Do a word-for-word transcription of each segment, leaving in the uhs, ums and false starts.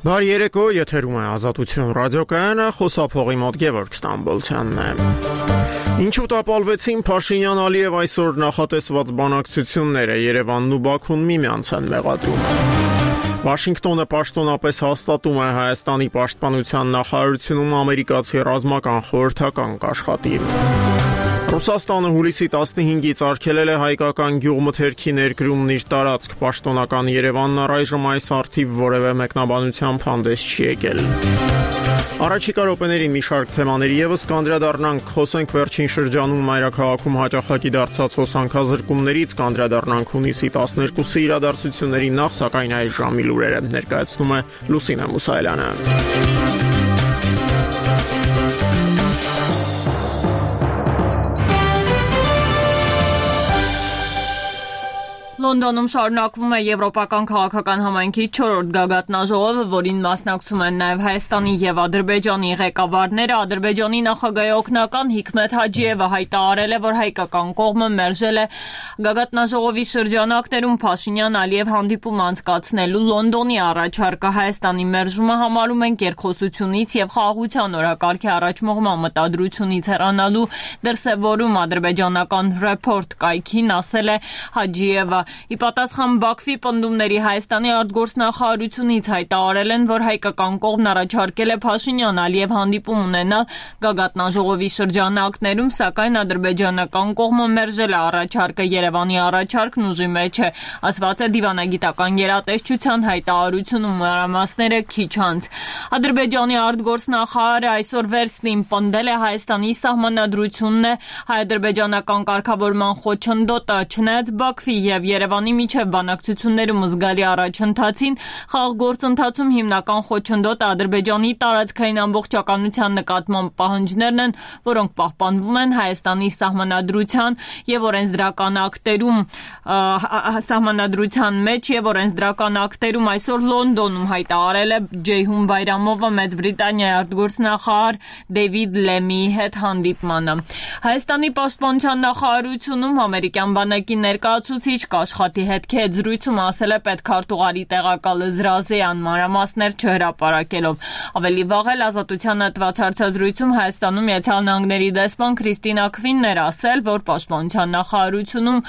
Բարի երեկո, եթերում է Ազատություն ռադիոկայանը, խոսափողի մոտ Գևորգ Ստամբոլցյանն է։ Ինչու տապալվեցին Փաշինյան-Ալիև այսօր նախատեսված բանակցությունները, Երևանն ու Բաքուն միմյանց են մեղադրում։ Վաշինգտոնը պաշտոնապես հաստատում է Հայաստանի պաշտպանության նախարարությունում ամերիկացի ռազմական խորհրդական կաշխատի։ Ռուսաստանը հուլիսի տասնհինգից արգելել է հայկական գյուղմթերքի ներկրումն իր տարածք, պաշտոնական Երևանն առայժմ այս առթիվ որևէ մեկնաբանությամբ հանդես չի եկել։ Առաջիկա րոպեների մի շարք թեմաների ևս կանդրադառնանք, խոսենք վերջին շրջանում մայրաքաղաքում հաճախակի դարձած հոսանքազրկումներից, կանդրադառնանք հունիսի տասներկուսի իրադարձությունների նախ, սակայն այս ժամի լուրերը ներկայացնում է Լուսինե Մուսայելյանը։ Լոնդոնում շարունակվում է Եվրոպական քաղաքական համայնքի չորրորդ գագաթնաժողովը, որին մասնակցում են նաև Հայաստանի և Ադրբեջանի ղեկավարները։ Ադրբեջանի նախագահի օգնական Հիկմեթ Հաջիևը հայտարարել է, որ հայկական կողմը մերժել է գագաթնաժողովի շրջանակներում Փաշինյան-Ալիև հանդիպում անցկացնելու Լոնդոնի առաջարկը։ Հայաստանի մերժումը համարում են կերխոսությունից և խաղաղության օրակարգի առաջմղման մտադրությունից հեռանալու դրսևորում, ադրբեջանական Report կայքին ասել է Հաջիևը։ Ի պատասխան Բաքվի պնդումների Հայաստանի արտգործնախարարությունից հայտարարել են, որ հայկական կողմն առաջարկել է Փաշինյան-Ալիև հանդիպում ունենալ գագաթնաժողովի շրջանակներում, սակայն ադրբեջանական կողմը մերժել է առաջարկը։ Երևանի առաջարկն ուժի մեջ է, ասված է դիվանագիտական գերատեսչության հայտարարությունում, մանրամասները քիչ անց։ Ադրբեջանի արտգործնախարարը այսօր վերստին պնդել է Հայաստանի սահմանադրությունն է հայ-ադրբեջանական կարգավորման խոչընդոտը, չնայած Բաքվի և Երևանի միջև բանակցություններում զգալի առաջընթացին, խաղաղ գործընթացում հիմնական խոչընդոտը Ադրբեջանի տարածքային ամբողջականության նկատմամբ պահանջներն են, որոնք պահպանվում են Հայաստանի սահմանադրության և օրենսդրական ակտերում, սահմանադրության մեջ և օրենսդրական ակտերում այսօր Լոնդոնում հայտարարել է Ջեյհուն Բայրամովը Մեծ Բրիտանիայի արտգործնախարար Դեյվիդ Լեմիի հետ հանդիպմանը։ Հայաստանի պաշտպանության նախարարությունում ամերիկյան բանակի ներկայացուցիչ Կաշխատի հետքի հետ զրույցում ասել է պետքարտուղարի տեղակալ Զրազեյան, մանրամասներ չհրապարակելով։ Ավելի վաղ էլ Ազատությանը տված հարցազրույցում Հայաստանում Միացյալ Նահանգների դեսպան Քրիստինա Քվինն էր ասել, որ պաշտպանության նախարարությունում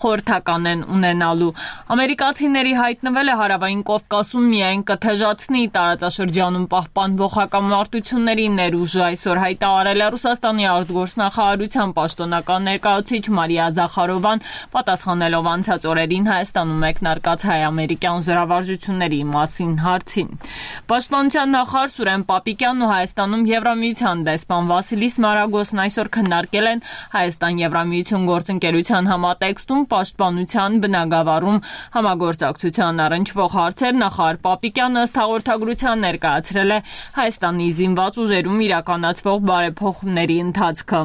խորհրդական են ունենալու։ Ամերիկացիների հայտնվել է Հարավային Կովկասում միայն կթեժացնի տարածաշրջանում պահպանվող հակամարտությունների ներուժը, այսօր հայտարարել է Ռուսաստանի արտգործնախարարության պաշտոնական ներկայացուցիչ Մարիա Զախարովան, պատասխանելով անցած օրերին Հայաստանում մեկնարկած հայ-ամերիկյան զորավարժությունների մասին հարցին։ Պաշտպանության նախարար Սուրեն Պապիկյանն ու Հայաստանում Եվրամիության դեսպան Վասիլիս Մարագոսն այսօր քննարկել են Հայաստան-Եվրամիություն գործընկերության համատեքստում պաշտպանության բնագավառում համագործակցության առնչվող հարցեր։ Նախարար Պապիկյանը ըստ հաղորդագրության ներկայացրել է Հայաստանի զինված ուժերում իրականացվող բարեփոխումների ընթացքը։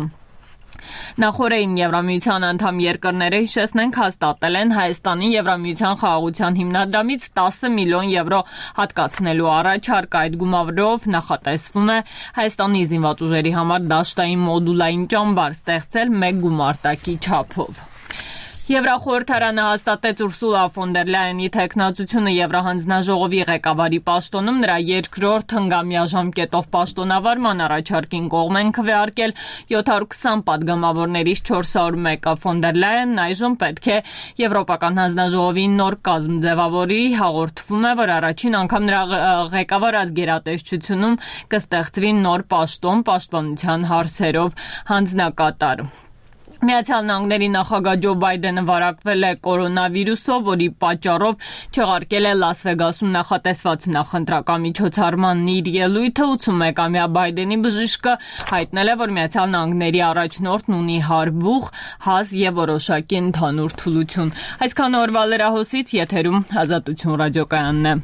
Նախորդին Եվրամիության անդամ երկրները, հիշեցնենք, հաստատել են Հայաստանի Եվրամիության խաղաղության հիմնադրամից տասը միլիոն եվրո հատկացնելու առաջարկ։ Այդ գումարով նախատեսվում է Հայաստանի զինված ուժերի համար դաշտային մոդուլային ճամբար ստեղծել մեկ գումարտակի չափով։ Եվրախորհրդարանը հաստատեց Ուրսուլա ֆոն դեր Լայենի թեկնածությունը Եվրահանձնաժողովի ղեկավարի պաշտոնում, նրա երկրորդ հնգամյա ժամկետով պաշտոնավարման առաջարկին կողմ են քվեարկել յոթ հարյուր քսան պատգամավորներից չորս հարյուր մեկը։ Ֆոն դեր Լայենն այժմ պետք է Եվրոպական հանձնաժողովի նոր կազմ ձևավորի, հաղորդվում է, որ առաջին անգամ նրա ղեկավարած գերատեսչությունում կստեղծվի նոր պաշտոն պաշտպանության հարցերով հանձնակատար։ Միացյալ Նահանգների նախագահ Ջո Բայդենը վարակվել է կորոնավիրուսով, որի պատճառով չեղարկել է Լաս Վեգասում նախատեսված նախընտրական միջոցառմանն իր ելույթը։ ութսունմեկամյա Բայդենի բժիշկը հայտնել է, որ Միացյալ Նահանգների առաջնորդն ունի հարբուխ, հազ և որոշակի ընդհանուր թուլություն։ Այսքան օրվա լրահոսից, եթերում Ազատություն ռադիոկայանն է։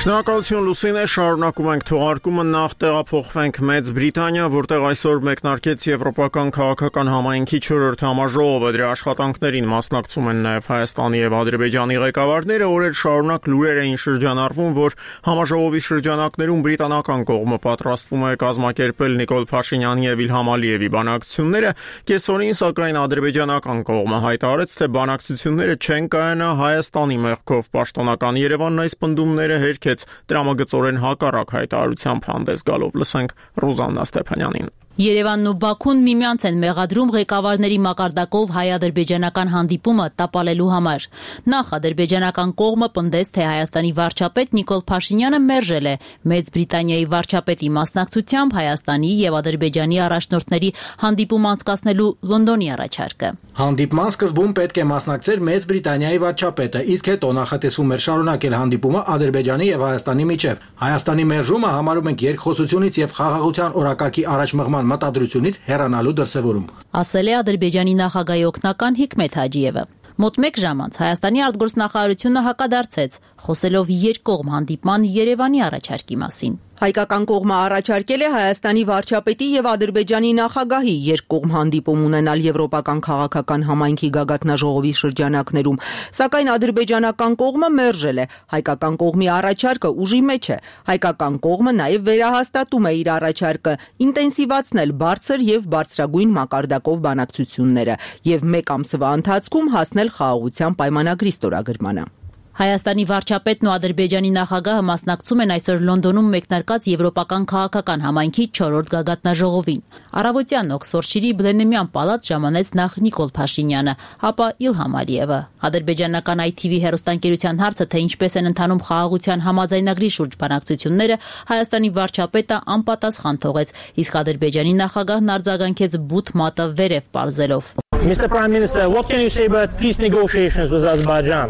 Շնորհակալություն Լուսինե, շարունակում ենք թողարկումը, նախ տեղափոխվենք Մեծ Բրիտանիա, որտեղ այսօր մեկնարկեց Եվրոպական քաղաքական համայնքի չորրորդ համաժողովը, դրա աշխատանքներին մասնակցում են նաև Հայաստանի եւ Ադրբեջանի ղեկավարները, օրեր շարունակ լուրեր էին շրջանառվում, որ համաժողովի շրջանակներում բրիտանական կողմը պատրաստվում է կազմակերպել Նիկոլ Փաշինյանի եւ Իլհամ Ալիևի բանակցությունները, կեսօրին սակայն ադրբեջանական կողմը հայտարարեց, թե բանակցությունները չեն կայանա, Հայաստանի մեղքով պաշտոնական Երևանն այս պնդումները հերքեց տրամագծորեն հակառակ հայտարարությամբ հանդես գալով, լսենք Ռուզաննա Ստեփանյանին։ Երևանն ու Բաքուն միմյանց են մեղադրում ղեկավարների մակարդակով հայ-ադրբեջանական հանդիպումը տապալելու համար։ Նախ ադրբեջանական կողմը պնդեց, թե Հայաստանի վարչապետ Նիկոլ Փաշինյանը մերժել է Մեծ Բրիտանիայի վարչապետի մասնակցությամբ Հայաստանի եւ Ադրբեջանի առաջնորդների հանդիպում անցկացնելու Լոնդոնի առաջարկը։ Հանդիպման սկզբում պետք է մասնակցեր Մեծ Բրիտանիայի վարչապետը, իսկ հետո նախատեսվում էր շարունակել հանդիպումը Ադրբեջանի եւ Հայաստանի միջև։ Հայաստանի մերժումը համարում ենք երկխոսությունից եւ խաղաղության օրակարգի առաջմղման մտադրությունից հեռանալու դրսևորում, ասել է Ադրբեջանի նախագահի օգնական Հիկմեթ Հաջիևը։ Մոտ մեկ ժամ անց Հայաստանի արտգործնախարարությունը հակադարձեց, խոսելով երկկողմ հանդիպման Երևանի առաջարկի մասին։ Հայկական կողմը առաջարկել է Հայաստանի վարչապետի եւ Ադրբեջանի նախագահի երկկողմ հանդիպում ունենալ Եվրոպական քաղաքական համայնքի գագաթնաժողովի շրջանակներում, սակայն ադրբեջանական կողմը մերժել է։ Հայկական կողմի առաջարկը ուժի մեջ է։ Հայկական կողմը նաեւ վերահաստատում է իր առաջարկը ինտենսիվացնել բարձր եւ բարձրագույն մակարդակով բանակցությունները եւ մեկ ամսվա ընթացքում հասնել խաղաղության պայմանագրի ստորագրմանը։ Հայաստանի վարչապետն ու Ադրբեջանի նախագահը մասնակցում են այսօր Լոնդոնում մեկնարկած Եվրոպական քաղաքական համայնքի չորրորդ գագաթնաժողովին։ Առավոտյան Օքսֆորդշիրի Բլենեմյան պալատ ժամանեց նախ Նիկոլ Փաշինյանը, ապա Իլհամ Ալիևը։ Ադրբեջանական այ թի վի հեռուստաընկերության հարցը, թե ինչպես են ընթանում խաղաղության համաձայնագրի շուրջ բանակցությունները, Հայաստանի վարչապետը անպատասխան թողեց, իսկ Ադրբեջանի նախագահն արձագանքեց բութ մատը վերև պարզելով։ Mister Prime Minister, what can you say about peace negotiations with Azerbaijan?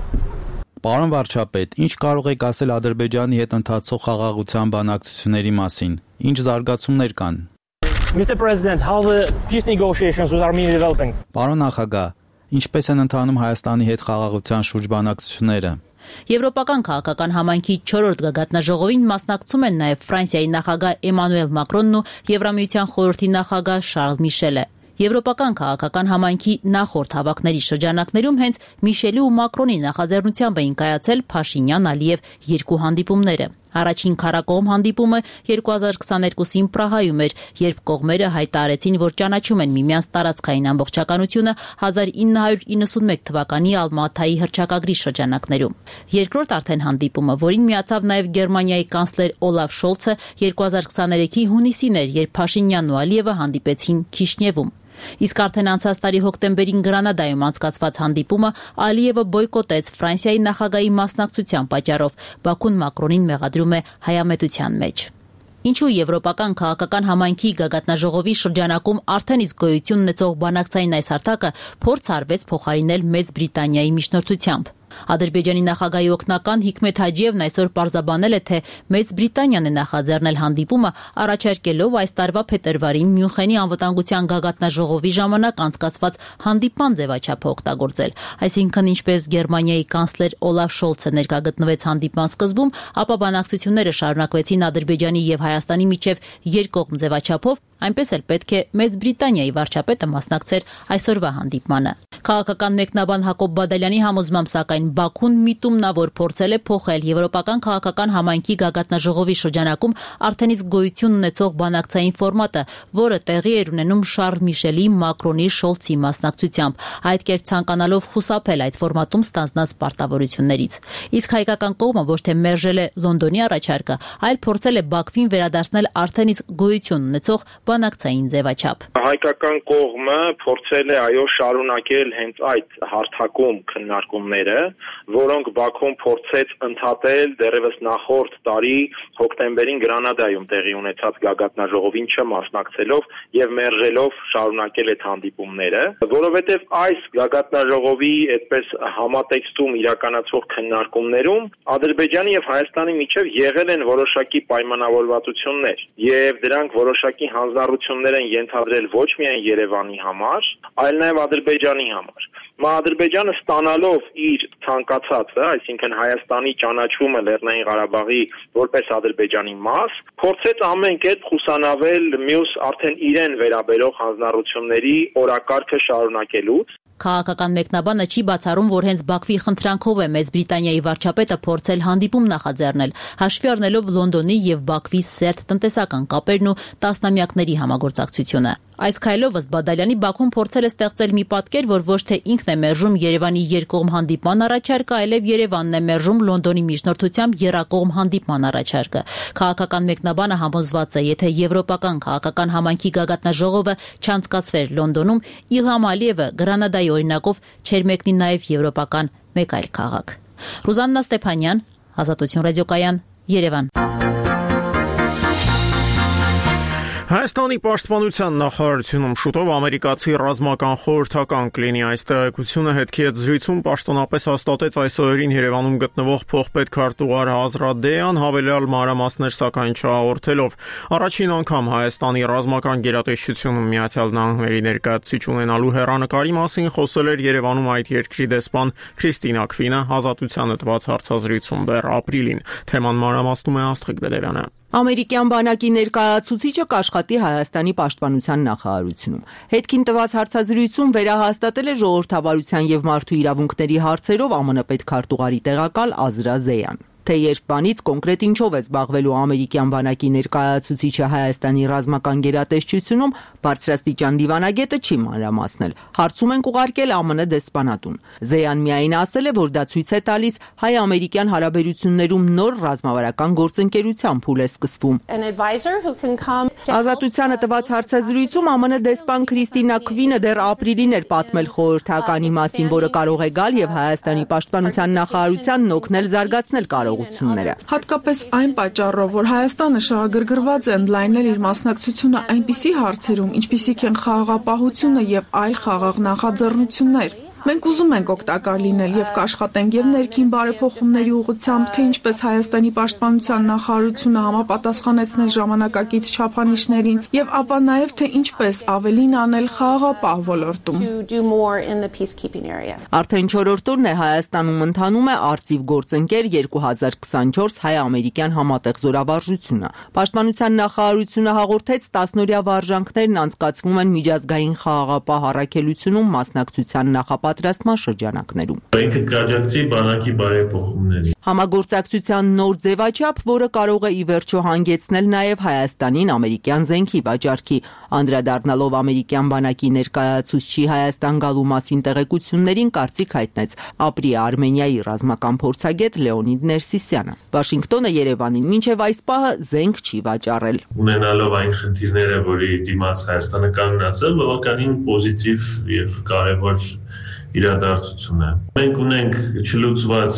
Պարոն վարչապետ, ինչ կարող եք ասել Ադրբեջանի հետ ընթացող խաղաղության բանակցությունների մասին։ Ինչ զարգացումներ կան։ Mister President, how the peace negotiations with Armenia developing? Պարոն նախագահ, ինչպես են ընթանում Հայաստանի հետ խաղաղության շուրջ բանակցությունները։ Եվրոպական քաղաքական համայնքի չորրորդ գագաթնաժողովին մասնակցում են նաև Ֆրանսիայի նախագահ Էմանուել Մակրոնն ու Եվրամիության խորհրդի նախագահ Շարլ Միշելը։ Եվրոպական քաղաքական համայնքի նախորդ հավաքների շրջանակներում հենց Միշելի ու Մակրոնի նախաձեռնությամբ էին կայացել Փաշինյան-Ալիև երկու հանդիպումները։ Առաջին քարակողմ հանդիպումը երկու հազար քսաներկուսին Պրահայում էր, երբ կողմերը հայտարարեցին, որ ճանաչում են միմյանց տարածքային ամբողջականությունը հազար ինը հարյուր իննսունմեկ թվականի Ալմատայի հռչակագրի շրջանակներում։ Երկրորդ արդեն հանդիպումը, որին միացավ նաև Գերմանիայի կանցլեր Օլաֆ Շոլցը, երկու հազար քսաներեքի հունիսին էր, երբ Փաշինյանն ու Ալիևը հանդիպեցին Քիշնևում։ Իսկ արդեն անցած տարի հոկտեմբերին Գրանադայում անցկացված հանդիպումը Ալիևը բոյկոտեց Ֆրանսիայի նախագահի մասնակցության պատճառով, Բաքուն Մակրոնին մեղադրում է հայամետության մեջ։ Ինչու Եվրոպական քաղաքական համայնքի գագաթնաժողովի շրջանակում արդեն իսկ գոյություն ունեցող բանակցային այս հարթակը փորձ արվեց փոխարինել Մեծ Բրիտանիայի միջնորդությամբ։ Ադրբեջանի նախագահի օգնական Հիկմեթ Հաջիևն այսօր պարզաբանել է, թե Մեծ Բրիտանիան է նախաձեռնել հանդիպումը, առաջարկելով այս տարվա փետրվարին Մյունխենի անվտանգության գագաթնաժողովի ժամանակ անցկացված հանդիպման ձևաչափը օգտագործել։ Այսինքն, ինչպես Գերմանիայի կանցլեր Օլաֆ Շոլցը ներկա գտնվեց հանդիպման սկզբում, ապա բանակցությունները շարունակվեցին Ադրբեջանի եւ Հայաստանի միջև երկկողմ ձևաչափով, այնպես էլ պետք է Մեծ Բրիտանիայի վարչապետը մասնակցեր այսօրվա հանդիպմանը։ Քաղաքական մեկնաբան Հակոբ Բադալյանի համոզմամբ, սակայն Բաքուն միտումնավոր փորձել է փոխել Եվրոպական քաղաքական համայնքի գագաթնաժողովի շրջանակում արդեն իսկ գոյություն ունեցող բանակցային ֆորմատը, որը տեղի էր ունենում Շարլ Միշելի, Մակրոնի, Շոլցի մասնակցությամբ, այդ կերպ ցանկանալով խուսափել այդ ֆորմատում ստանձնած պարտավորություններից։ Իսկ հայկական կողմը ոչ թե մերժել է Լոնդոնի առաջարկը, այլ փորձել է Բաքվին վերադարձնել արդեն իսկ գոյություն ունեցող բանակցային ձևաչափ։ Հայկական կողմը փորձել է այո շարունակել հենց այդ հարթակում քննարկումները, որոնք Բաքուն փորձեց ընդհատել դեռևս նախորդ տարի հոկտեմբերին Գրանադայում տեղի ունեցած գագաթնաժողովին չմասնակցելով եւ մերժելով շարունակել այդ հանդիպումները, որովհետեւ այս գագաթնաժողովի այդպես համատեքստում իրականացվող քննարկումներում Ադրբեջանի եւ Հայաստանի միջև եղել են որոշակի պայմանավորվածություններ եւ դրանք որոշակի հանձ հանձնառություններ են ենթադրել ոչ միայն Երևանի համար, այլ նաև Ադրբեջանի համար։ Մա Ադրբեջանը ստանալով իր ցանկացածը, այսինքն Հայաստանի ճանաչումը Լեռնային Ղարաբաղի որպես Ադրբեջանի մաս, փորձեց ամեն կերպ խուսանավել մյուս արդեն իրեն վերաբերող հանձնառությունների օրակարգը շարունակելուց։ Քաղաքական մեկնաբանը չի բացառում, որ հենց Բաքվի խնդրանքով է Մեծ Բրիտանիայի վարչապետը փորձել հանդիպում նախաձեռնել, հաշվի առնելով Լոնդոնի եւ Բաքվի սերտ տնտեսական կապերն ու տասնամյակների համագործակցությունը։ Այս քայլով ըստ Բադալյանի Բաքուն փորձել է ստեղծել մի պատկեր, որ ոչ թե ինքն է մերժում Երևանի երկկողմ հանդիպման առաջարկը, այլև Երևանն է մերժում Լոնդոնի միջնորդությամբ եռակողմ հանդիպման առաջարկը։ Քաղաքական մեկնաբանը համոզված է, եթե եվրոպական քաղաքական համայնքի գագաթնաժողովը չանցկացվեր Լոնդոնում, Իլհամ Ալիևը Գրանադայի օրինակով չէր մեկնի նաև եվրոպական մեկ այլ քաղաք։ Ռուզաննա Ստեփանյան, Ազատություն ռադիոկայան, Երևան։ Հայաստանի պաշտպանության նախարարությունում շուտով ամերիկացի ռազմական խորհրդական կլինի։ Այս տեղեկությունը հետքի հետ զրույցում պաշտոնապես հաստատեց այս օրերին Երևանում գտնվող փոխպետ քարտուղար Ազրադեան, հավելյալ մանրամասներ սակայն չհաղորդելով։ Առաջին անգամ Հայաստանի ռազմական գերատեսչությունում Միացյալ Նահանգների ներկայացուցիչ ունենալու հեռանկարի մասին խոսել էր Երևանում այդ երկրի դեսպան Քրիստինա Քվինը հազատությանը տված հարցազրույցում դեռ ապրիլին։ Թեման մանրամասնում է Աստղիկ Բեդևյանը։ Ամերիկյան բանակի ներկայացուցիչը կաշխատի Հայաստանի պաշտպանության նախարարությունում։ Հետքին տված հարցազրույցում վերահաստատել է ժողովրդավարության եւ մարդու իրավունքների հարցերով ԱՄՆ պետքարտուղարի տեղակալ Ազրա Զեյան։ Թե երբ բանից կոնկրետ ինչով է զբաղվելու ամերիկյան բանակի ներկայացուցիչը Հայաստանի ռազմական գերատեսչությունում, բարձրաստիճան դիվանագետը չի մանրամասնել։ Հարցում են ուղարկել ԱՄՆ դեսպանատուն։ Զեյան միայն ասել է, որ դա ցույց է տալիս հայ-ամերիկյան հարաբերություններում նոր ռազմավարական գործընկերության փուլ է սկսվում։ Ազատությանը տված հարցազրույցում ԱՄՆ դեսպան Քրիստինա Քվինը դեռ ապրիլին էր պատմել խորհրդականի մասին, որը կարող է գալ եւ Հայաստանի պաշտպանության նախարարությանն օգնել զարգացնել կարողությունները։ Հատկապես այն պատճառով, որ Հայաստանը շահագրգռված է ընդլայնել իր մասնակցությունը այնպիսի հարցերում, ինչպիսիք են խաղաղապահությունը եւ այլ խաղաղ նախաձեռնություններ։ Մենք ուզում ենք օգտակար լինել եւ կաշխատենք եւ ներքին բարեփոխումների ուղղությամբ, թե ինչպես Հայաստանի պաշտպանության նախարարությունը համապատասխանեցնել ժամանակակից չափանիշներին եւ ապա նաեւ թե ինչպես ավելին անել խաղաղապահ ոլորտում։ Արդեն չորրորդ օրն է Հայաստանում ընթանում է Արծիվ գործընկեր երկու հազար քսանչորս հայ-ամերիկյան համատեղ զորավարժությունը։ Պաշտպանության նախարարությունը հաղորդեց տասնօրյա վարժանքներն անցկացվում են միջազգային խաղաղապահ առաքելությունում մասնակցության նախապատրաստման շրջանակներում։ Ինքը կաջակցի բանակի բարեփոխումներին։ Համագործակցության նոր ձևաչափ, որը կարող է ի վերջո հանգեցնել նաև Հայաստանին ամերիկյան զենքի վաճառքի, անդրադառնալով ամերիկյան բանակի ներկայացուցչի Հայաստան գալու մասին տեղեկություններին կարծիք հայտնեց ապրի Արմենիայի ռազմական փորձագետ Լեոնիդ Ներսիսյանը։ Վաշինգտոնը Երևանին մինչև այս պահը զենք չի վաճառել։ Ունենալով այն խնդիրները, որի դիմաց Հայաստանը կանգնած է, բավականին պոզիտիվ եւ կարեւոր իրադարձություն է։ Մենք ունենք չլուծված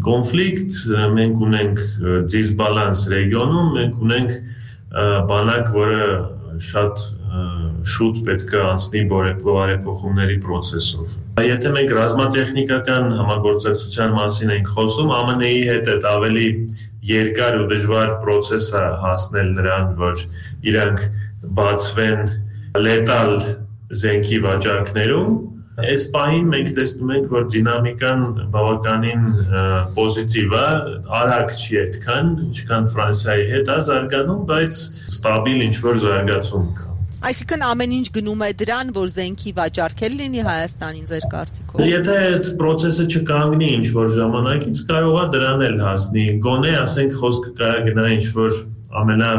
կոնֆլիկտ, մենք ունենք դիսբալանս ռեգիոնում, մենք ունենք բանակ, որը շատ շուտ պետք է անցնի բարեփոխումների process-ով։ Եթե մենք ռազմատեխնիկական համագործակցության մասին ենք խոսում, ԱՄՆ-ի հետ այդ ավելի երկար ու դժվար process է հասնել նրան, որ իրանք բացվեն լետալ զենքի վաճառքներում, այս պահին մենք տեսնում ենք, որ դինամիկան բավականին պոզիտիվ է, արագ չի այդքան, ինչքան Ֆրանսիայի հետ է զարգանում, բայց ստաբիլ ինչ-որ զարգացում կա։ Այսինքն ամեն ինչ գնում է դրան, որ զենքի վաճառքել լինի Հայաստանին ձեր կարծիքով։ Եթե այդ process-ը չկանգնի ինչ-որ ժամանակից, կարող է դրան էլ հասնի։ Գոնե, ասենք, խոսքը կարա գնա ինչ-որ ամենա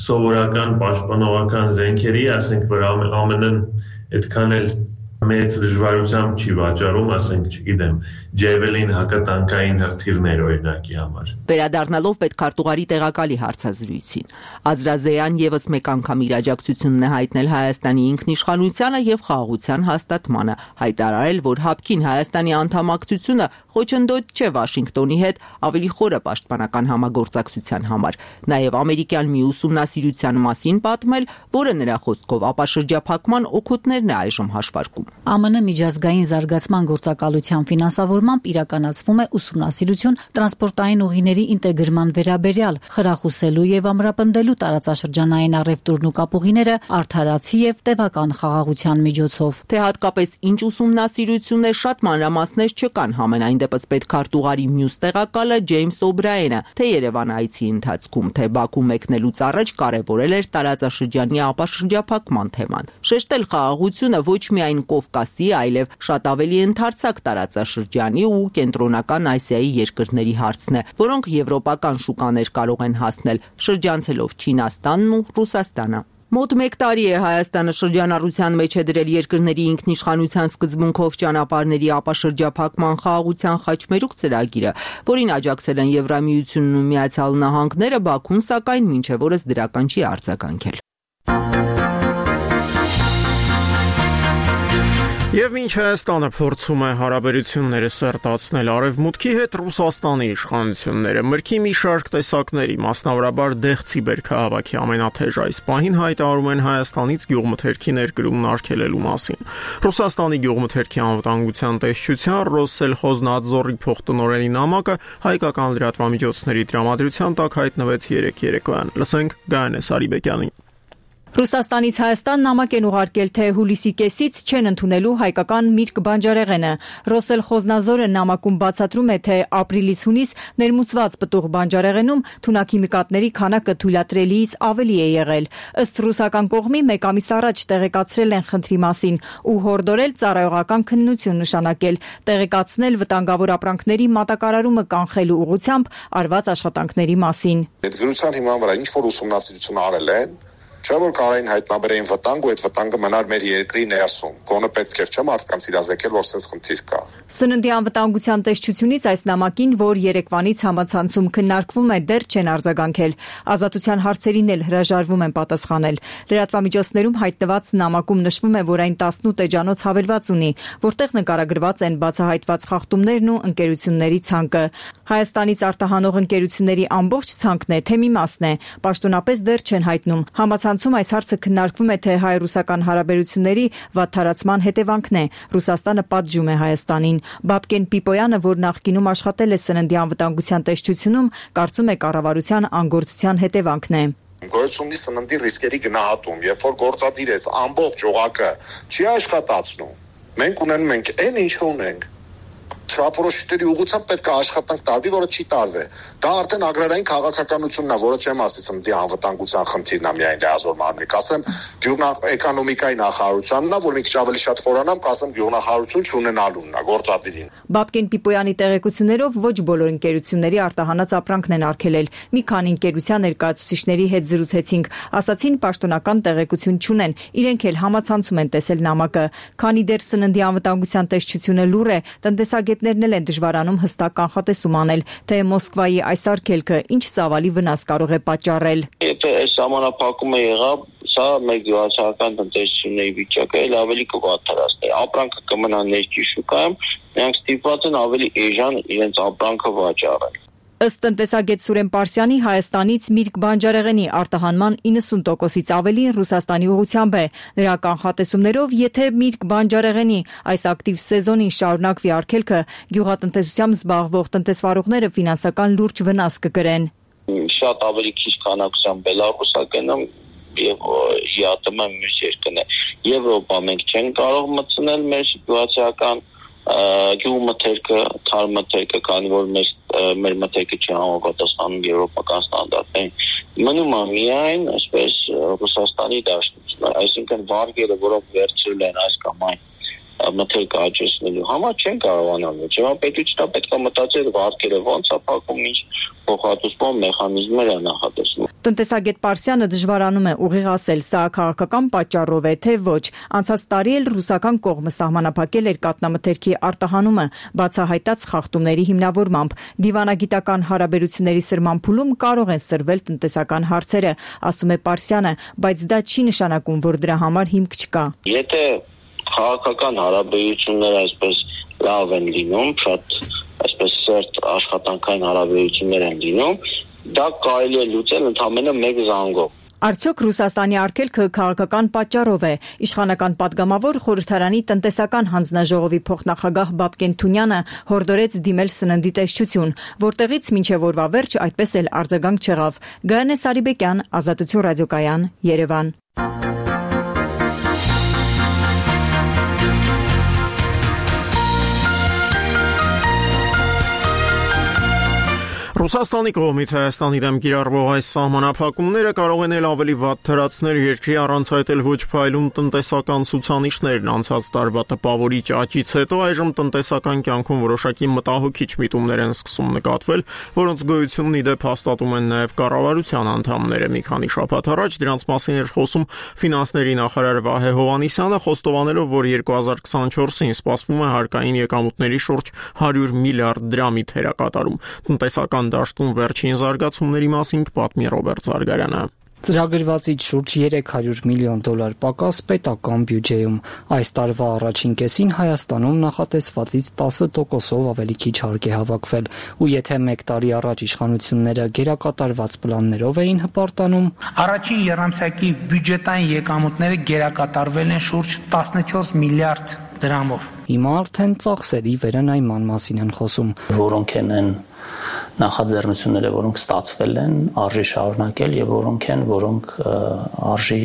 սովորական պաշտպանողական զենքերի, ասենք, որ ԱՄՆ-ն այդքան էլ մեծ դժվարությամբ չի վաճառում, ասենք, չգիտեմ, Javelin հակատանկային հրթիռներ օրինակի համար։ Վերադառնալով պետքարտուղարի տեղակալի հարցազրույցին, Ազրազեյան եւս մեկ անգամ իր աջակցությունն է հայտնել Հայաստանի ինքնիշխանությանը եւ խաղաղության հաստատմանը, հայտարարել, որ հապկին Հայաստանի անդամակցությունը խոչընդոտ չէ Վաշինգտոնի հետ ավելի խորը պաշտպանական համագործակցության համար, նաեւ ամերիկյան մի ուսումնասիրության մասին պատմել, որը նրա խոսքով ապաշրջափակման օգուտներն է այժմ հաշվարկում։ Ա Մ Ն միջազգային զարգացման գործակալության ֆինանսավորմամբ իրականացվում է ուսումնասիրություն տրանսպորտային ուղիների ինտեգրման վերաբերյալ, խրախուսելու եւ ամրապնդելու տարածաշրջանային առևտուրն ու կապուղիները արդարացի եւ տևական խաղաղության միջոցով։ Թե հատկապես ինչ ուսումնասիրություններ, շատ մանրամասներ չկան, համենայն դեպս պետքարտուղարի մյուս տեղակալը Ջեյմս Օբրայենը, թե Երևան այցի ընթացքում, թե Բաքու մեկնելուց առաջ կարևորել էր տարածաշրջանի ապաշրջափակման թեման։ Շեշտել խաղաղությունը ոչ միայն Կովկասի, այլև շատ ավելի ընդարձակ տարածաշրջանի ու կենտրոնական Ասիայի երկրների հարցն է, որոնք եվրոպական շուկաներ կարող են հասնել, շրջանցելով Չինաստանն ու Ռուսաստանը։ Մոտ մեկ տարի է Հայաստանը շրջանառության մեջ է դրել երկրների ինքնիշխանության սկզբունքով ճանապարհների ապաշրջափակման խաղաղության խաչմերուկ ծրագիրը, որին աջակցել են Եվրամիությունն ու Միացյալ Նահանգները, Բաքուն սակայն մինչև օրս դրական չի արձագանքել։ Եվ մինչ Հայաստանը փորձում է հարաբերությունները սերտացնել Արևմուտքի հետ, Ռուսաստանի իշխանությունները մրգի մի շարք տեսակների, մասնավորաբար դեղցի բերքահավաքի ամենաթեժ այս պահին հայտարարում են Հայաստանից գյուղմթերքի ներկրումն արգելելու մասին։ Ռուսաստանի գյուղմթերքի անվտանգության տեսչության Ռոսսելխոզնադզորի փոխտնօրենի նամակը հայկական լրատվամիջոցների տրամադրության տակ հայտնվեց երեկ երեկոյան։ Լսենք Գայանե Սարիբեկյանին։ Ռուսաստանից Հայաստան նամակ են ուղարկել, թե հուլիսի կեսից չեն ընդունելու հայկական միրգ բանջարեղենը։ Ռոսսելխոզնադզորը նամակում բացատրում է, թե ապրիլից հունիս ներմուծված պտուղ բանջարեղենում թունաքիմիկատների քանակը թույլատրելիից ավելի է եղել։ Ըստ ռուսական կողմի մեկ ամիս առաջ տեղեկացրել են խնդրի մասին ու հորդորել ծառայողական քննություն նշանակել, տեղեկացնել վտանգավոր ապրանքների մատակարարումը կանխելու ուղղությամբ արված աշխատանքների մասին։ Այդ գրության հիման վրա ինչ որ ուսումնասիրություն արել են, չէ՞ որ կարային հայտնաբերեին վտանգ ու այդ վտանգը մնար մեր երկրի ներսում։ Գոնե պետք էր չէ՞ մարդկանց իրազեկել, որ sense խնդիր կա։ Սննդի անվտանգության տեսչությունից այս նամակին, որ երեկվանից համացանցում քննարկվում է, դեռ չեն արձագանքել։ Ազատության հարցերին էլ հրաժարվում են պատասխանել։ Լրատվամիջոցներում հայտնված նամակում նշվում է, որ այն տասնութ էջանոց հավելված ունի, որտեղ նկարագրված են բացահայտված խախտումներն ու ընկերությունների ցանկը։ Հայաստանից արտահանող ընկերությունների ամբողջ ցանկն է, թե մի մասն է, պաշտոնապես դեռ չեն հայտնում։ Համացանցում այս հարցը քննարկվում է, թե հայ-ռուսական հարաբերությունների վատթարացման հետևանքն է։ Ռուսաստանը պատժում է Հայաստանին։ Բաբկեն Պիպոյանը, որ նախկինում աշխատել է սննդի անվտանգության տեսչությունում, կարծում է կառավարության անգործության հետևանքն է։ Գոյություն ունի սննդի ռիսկերի գնահատում, երբ որ գործադիր ես ամբողջ օղակը չի աշխատացնում, մենք ունենում ենք այն ինչը ունենք։ Չափորոշիչների ուղղությամբ պետք է աշխատանք տարվի, որը չի տարվել։ Դա արդեն ագրարային քաղաքականությունն է, որը չեմ ասի սննդի անվտանգության խնդիրն է միայն լիազոր մարմնի։ Կասեմ գյուղնախարարությունների նախարարությանն է, որ մի քիչ ավելի շատ խորանամ, կասեմ գյուղնախարարություն չունենալունն է, գործադիրին։ Բաբկեն Պիպոյանի տեղեկություններով ոչ բոլոր ընկերությունների արտահանած ապրանքն են արգելել։ Մի քանի ընկերության ներկայացուցիչների հետ զրուցեցինք, ասացին պաշտոնական տեղեկություն չունեն, իրենք էլ համացանցում են տեսել նամակը։ Քանի դեռ սննդի անվտանգության տեսչությունը լուռ է, տնտեսագետներն էլ են դժվարանում հստակ կանխատեսում անել, թե Մոսկվայի այս արգելքը ինչ ծավալի վնաս կարող է պատճառել։ Եթե այս համանախապակումը եղավ, սա մեր գյուղացիական տնտեսությունների վիճակը էլ ավելի կվատթարացնի։ Ապրանքը կմնա ներքին շուկայում, նրանք ստիպված են ավելի էժան իրենց ապրանքը վաճառել։ Ըստ տնտեսագետ Սուրեն Պարսյանի, Հայաստանից միրգ բանջարեղենի արտահանման իննսուն տոկոսից ավելին Ռուսաստանի ուղղությամբ է։ Նրա կանխատեսումներով, եթե միրգ բանջարեղենի այս ակտիվ սեզոնին շարունակվի արգելքը, գյուղատնտեսությամբ զբաղվող տնտեսվարողները ֆինանսական լուրջ վնաս կկրեն։ Շատ ավելի քիչ քանակությամբ բելարուսականում եւ ԵԱՏՄ մյուս երկրներ։ Եվրոպա մենք չենք կարող մտցնել մեր սիտուացիական գյուղմթերքը, թարմթերքը, քանի որ մեր մեր մթերքը չի համապատասխանում եվրոպական ստանդարտներին։ Մնում է միայն այսպես Ռուսաստանի դաշնությունը, այսինքն վարկերը, որոնք վերցրել են այս կամ այն մթերքը աճեցնելու համար չեն կարողանալ։ Պետությունը պետք է մտածել վարկերը ոնց է փակում, ինչ փոխհատուցման մեխանիզմներ է նախատեսվում։ Տնտեսագետ Պարսյանը դժվարանում է ուղիղ ասել, սա քաղաքական պատճառով է, թե ոչ։ Անցած տարի էլ ռուսական կողմը սահմանափակել էր կաթնամթերքի արտահանումը, բացահայտած խախտումների հիմնավորմամբ։ Դիվանագիտական հարաբերությունների սրման փուլում կարող են սրվել տնտեսական հարցերը, ասում է Պարսյանը, բայց դա չի նշանակում, որ դրա համար հիմք չկա։ Եթե քաղաքական հարաբերությունները այսպես լավ են լինում, շատ այսպես սերտ աշխատանքային հարաբերություններ են լինում, դա կարելի է լուծել ընդամենը մեկ զանգով։ Արդյոք Ռուսաստանի արգելքը քաղաքական պատճառով է։ Իշխանական падգամավոր խորհրդարանի տնտեսական հանձնաժողովի փոխնախագահ Բաբկեն Թունյանը հորդորեց դիմել սննդի տեսչություն, որտեղից մինչև օրվա վերջ այդպես էլ արձագանք չեղավ։ Գայանե Սարիբեկյան, Ազատություն ռադիոկայան, Երևան։ Ռուսաստանի կողմից Հայաստանի դեմ կիրառվող այս սահմանափակումները կարող են էլ ավելի վատ թրացնել երկրի առանց այդ էլ ոչ փայլուն տնտեսական ցուցանիշներն անցած տարվա տպավորիչ աճից հետո այժմ տնտեսական կյանքում որոշակի մտահոգիչ միտումներ են սկսում նկատվել, որոնց գոյությունն ի դեպ հաստատում են նաև կառավարության անդամները։ Մի քանի շաբաթ առաջ դրանց մասին էր խոսում ֆինանսների նախարար Վահե Հովհաննիսյանը, խոստովանելով, որ երկու հազար քսանչորսին սպասվում է հարկային եկամուտների շուրջ հարյուր միլիարդ դրամի թերակատարում։ Տնտեսական դաշտում վերջին զարգացումների մասին կպատմի Ռոբերտ Զարգարյանը։ Ծրագրվածից շուրջ երեք հարյուր միլիոն դոլար պակաս պետական բյուջեում։ Այս տարվա առաջին կեսին Հայաստանում նախատեսվածից տասը տոկոսով ավելի քիչ հարկ է հավաքվել, ու եթե մեկ տարի առաջ իշխանությունները գերակատարված պլաններով էին հպարտանում, առաջին եռամսյակի բյուջետային եկամուտները գերակատարվել են շուրջ տասնչորս միլիարդ դրամով։ Հիմա արդեն ծախսերի վերանայման մասին են խոսում, որոնք են նախաձեռնությունները, որոնք ստացվել են, արժի շարունակել եւ որոնք են, որոնք արժի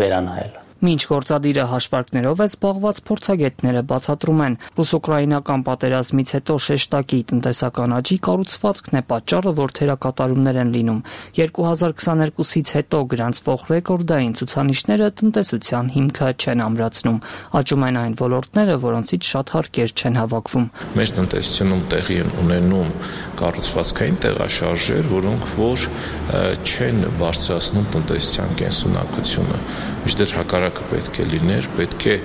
վերանայել։ Մինչ գործադիրը հաշվարկներով է զբաղված, փորձագետները բացատրում են, ռուս-ուկրաինական պատերազմից հետո շեշտակի տնտեսական աճի կառուցվածքն է պատճառը, որ թերակատարումներ են լինում։ երկու հազար քսաներկուսից հետո գրանցվող ռեկորդային ցուցանիշները տնտեսության հիմքը չեն ամրացնում, աճում են այն ոլորտները, որոնցից շատ հարկեր չեն հավաքվում։ Մեր տնտեսությունում տեղի են ունենում կառուցվածքային տեղաշարժեր, որոնք որ չեն բարձրացնում տնտեսության կենսունակությունը։ Միշտ հակառակը պետք է լիներ, պետք է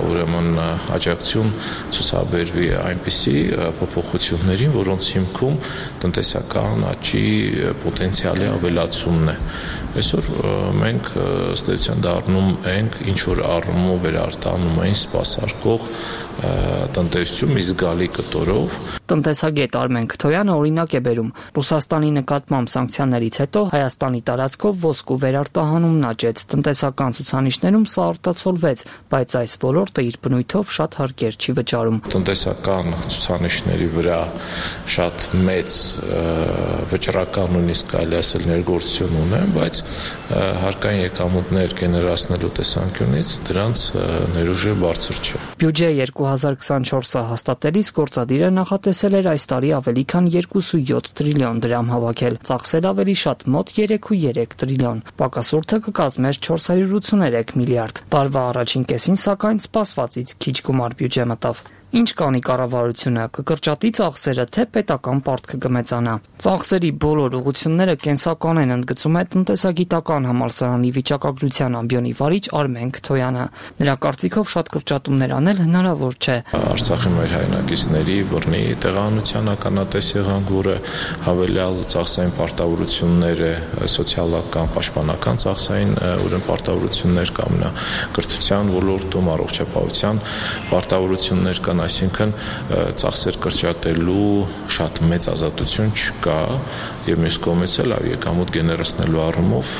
ուրեմն աջակցություն ցուցաբերվի այնպիսի փոփոխություններին, որոնց հիմքում տնտեսական աճի պոտենցիալի ավելացումն է։ Այսօր մենք ըստ էության դառնում ենք ինչ որ առումով վերարտանում են սպասարկող տնտեսություն մի զգալի կտորով։ Տնտեսագետ Արմեն Քթոյանը օրինակ է բերում. Ռուսաստանի նկատմամբ սանկցիաներից հետո Հայաստանի տարածքով ոսկու վերարտահանումն աճեց, տնտեսական ցուցանիշներում սա արտացոլվեց, բայց այս ոլորտը իր բնույթով շատ հարկեր չի վճարում։ Տնտեսական ցուցանիշների վրա շատ մեծ վճռական նույնիսկ կարելի ասել ներգործություն ունեն, բայց հարկային եկամուտներ գեներացնելու տեսանկյունից դրանց ներուժը բարձր չէ։ Բյուջե երկու հազար քսանչորսը հաստատելիս գործադիրը նախատեսել էր այս տարի ավելի քան երկու կόμma յոթ տրիլիոն դրամ հավաքել, ծախսել ավելի շատ մոտ երեք կόμma երեք տրիլիոն, պակասուրդը կկազմեր չորս հարյուր ութսուներեք միլիարդ։ Տարվա առաջին կեսին սակայն սպասվածից քիչ գումար բյուջե մտավ։ Ինչ կանի կառավարությունը, կկրճատի ծախսերը, թե պետական պարտքը կմեծանա։ Ծախսերի բոլոր ուղղությունները կենսական են, ընդգծում է տնտեսագիտական համալսարանի վիճակագրության ամբիոնի վարիչ Արմեն Քթոյանը։ Նրա կարծիքով շատ կրճատումներ անել հնարավոր չէ։ Արցախի մեր հայրենակիցների բռնի տեղանության ականատես եղանք, որը հավելյալ ծախսային պարտավորությունները, սոցիալական, պաշտպանական ծախսային ուրեմն պարտավորություններ կամ նա կրթության ոլորտում, առողջապահության պարտավորություններ կան, այսինքն ծախսեր կրճատելու շատ մեծ ազատություն չկա եւ մյուս կողմից էլ եկամուտ գեներացնելու առումով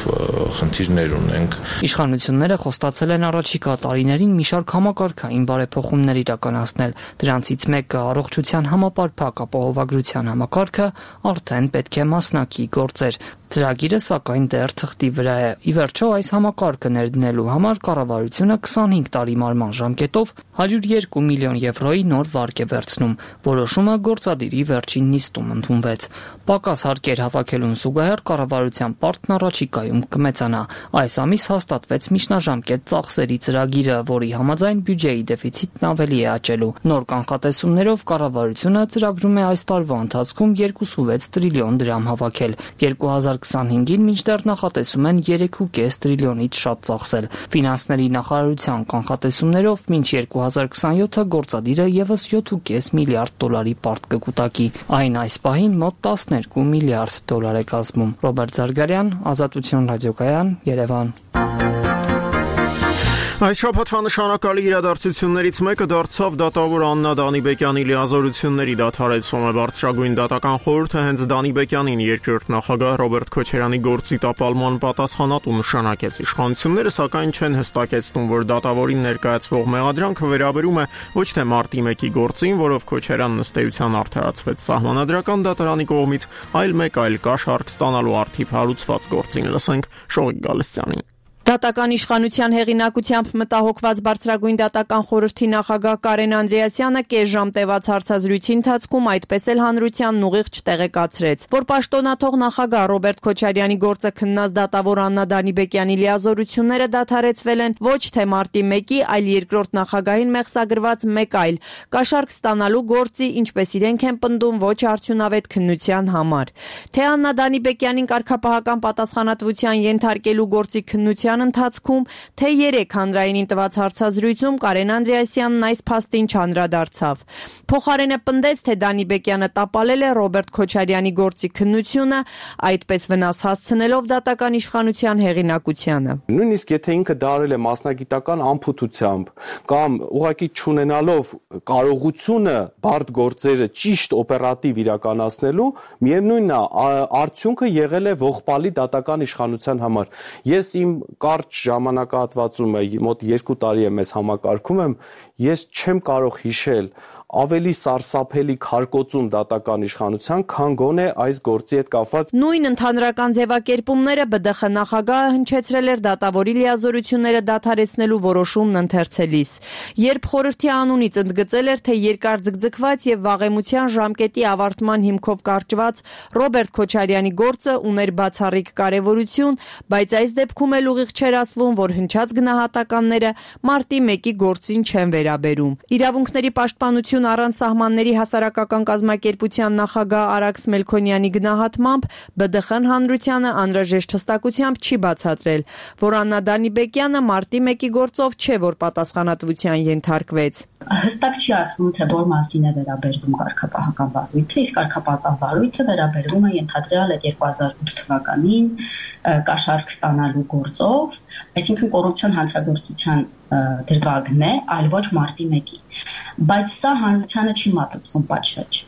խնդիրներ ունենք։ Իշխանությունները խոստացել են առաջիկա տարիներին մի շարք համակարգային բարեփոխումներ իրականացնել։ Դրանցից մեկը առողջության համապարփակ ապահովագրության համակարգը արդեն պետք է մասնակի գործեր։ Ծրագիրը սակայն դեռ թղթի վրա է։ Ի վերջո այս համակարգը ներդնելու համար կառավարությունը քսանհինգ տարի մարման ժամկետով հարյուր երկու միլիոն եվրոյի նոր վարկ է վերցնում։ Որոշումը գործադիրի վերջին նիստում ընդունվեց։ Պակաս հարկեր հավաքելուն զուգահեռ կառավարության պարտքն առաջիկայում կմեծանա։ Այս ամիս հաստատվեց միջնաժամկետ ծախսերի ծրագիրը, որի համաձայն բյուջեի դեֆիցիտն ավելի է աճելու։ Նոր կանխատեսումներով կառավարությունը ծրագրում է այս տարվա ընթացքում երկու կόμma վեց տրիլիոն դրամ հավաքել։ երկու հազար քսանհինգին մինչդեռ նախատեսում են երեք կόμma պենս տրիլիոնից շատ ծախսել։ Ֆինանսների նախարարության կանխատեսումներով մինչ երկու հազար քսանյոթը գործադիրը եւս յոթ կόμma պենս միլիարդ դոլարի պարտ կկուտակի։ Այն այս պահին մոտ տասներկու միլիարդ դոլար է կազմում։ Ռոբերտ Զարգարյան, Ազատություն ռադիոկայան, Երևան։ Այս շաբաթվա նշանակալի իրադարձություններից մեկը դարձավ դատավոր Աննա Դանիբեկյանի լիազորությունների դադարեցումը։ Բարձրագույն դատական խորհուրդը հենց Դանիբեկյանին երկրորդ նախագահ Ռոբերտ Քոչարյանի գործի տապալման պատասխանատու նշանակեց։ Իշխանությունները սակայն չեն հստակեցնում, որ դատավորին ներկայացվող մեղադրանքը վերաբերում է ոչ թե մարտի մեկի գործին, որով Քոչարյանն ըստ էության արդարացվեց Սահմանադրական դատարանի կողմից, այլ մեկ այլ կաշառք ստանալու առթիվ հարուցված գործին։ Լսենք Շողիկ Գալստյանին։ Դատական իշխանության հեղինակությամբ մտահոգված Բարձրագույն դատական խորհրդի նախագահ Կարեն Անդրեասյանը կես ժամ տևած հարցազրույցի ընթացքում այդպես էլ հանրությանն ուղիղ չտեղեկացրեց, որ պաշտոնաթող նախագահ Ռոբերտ Քոչարյանի գործը քննած դատավոր Աննա Դանիբեկյանի լիազորությունները դադարեցվել են ոչ թե մարտի մեկի, այլ երկրորդ նախագահին մեղսագրված մեկ այլ կաշառք ստանալու գործի, ինչպես իրենք են պնդում, ոչ արդյունավետ քննության համար։ Թե Աննա Դանիբեկյանին կարգապահական պատասխանատվության ենթարկելու գործի քննության ընթացքում, թե երեք հանրայինին տված հարցազրույցում Կարեն Անդրեասյանն այս փաստին չանդրադարձավ։ Փոխարենը պնդեց, թե Դանիբեկյանը տապալել է Ռոբերտ Քոչարյանի գործի քննությունը, այդպես վնաս հասցնելով դատական իշխանության հեղինակությանը։ Նույնիսկ եթե ինքը դարել է մասնագիտական անփութությամբ կամ ուղղակի չունենալով կարողությունը բարդ գործերը ճիշտ օպերատիվ իրականացնելու, միևնույնն է, արդյունքը եղել է ողբալի դատական իշխանության համար։ Ես իմ կարճ ժամանակահատվածում մոտ երկու տարի է մեզ համակարգում եմ, ես չեմ կարող հիշել ավելի սարսափելի քարկոծում դատական իշխանության, քան գոնե այս գործի հետ կապված։ Նույն ընդհանրական ձևակերպումները Բ Դ Խ նախագահը հնչեցրել էր դատավորի լիազորությունները դադարեցնելու որոշումն ընթերցելիս, երբ խորհրդի անունից ընդգծել էր, թե երկար ձգձգված եւ վաղեմության ժամկետի ավարտման հիմքով կարճված Ռոբերտ Քոչարյանի գործը ուներ բացառիկ կարեւորություն, բայց այս դեպքում էլ ուղիղ չէր ասվում, որ հնչած գնահատականները մարտի մեկի գործին չեն վերաբերում։ Իրավունքների պաշտպանություն առանց սահմանների հասարակական կազմակերպության նախագահ Արաքս Մելքոնյանի գնահատմամբ Բ Դ Խ-ն հանրությանը անհրաժեշտ հստակությամբ չի բացատրել, որ Աննա Դանիբեկյանը մարտի մեկի գործով չէ, որ պատասխանատվության ենթարկվեց։ Հստակ չի ասվում, թե որ մասին է վերաբերվում կարգապահական վարույթը, իսկ կարգապահական վարույթը վերաբերվում է ենթադրյալ երկու հազար ութ թվականին կաշառք ստանալու գործով, այսինքն կոռուպցիոն հանցագործության դրվագն է, այլ ոչ մարտի մեկի։ Բայց սա հանրությանը չի մատուցվում պատշաճ։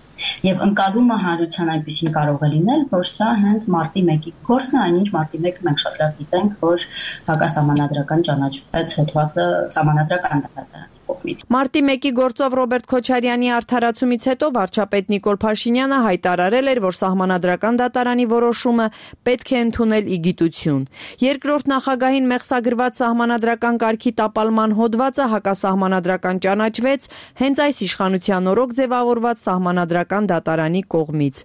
Եվ ընկալումը հանրության այնպեսին կարող է լինել, որ սա հենց մարտի մեկի գործն է, այնինչ մարտի մեկը մենք շատ լավ գիտենք, որ հակասահմանադրական ճանաչվեց հոդվածը սահմանադրական դատարանի կողմից։ Մարտի մեկի գործով Ռոբերտ Քոչարյանի արդարացումից հետո վարչապետ Նիկոլ Փաշինյանը հայտարարել էր, որ սահմանադրական դատարանի որոշումը պետք է ընդունել ի գիտություն։ Երկրորդ նախագահին մեղսագրված սահմանադրական կարգի տապալման հոդվածը հակասահմանադրական ճանաչվեց հենց այս իշխանության օրոք ձևավորված սահմանադրական դատարանի կողմից։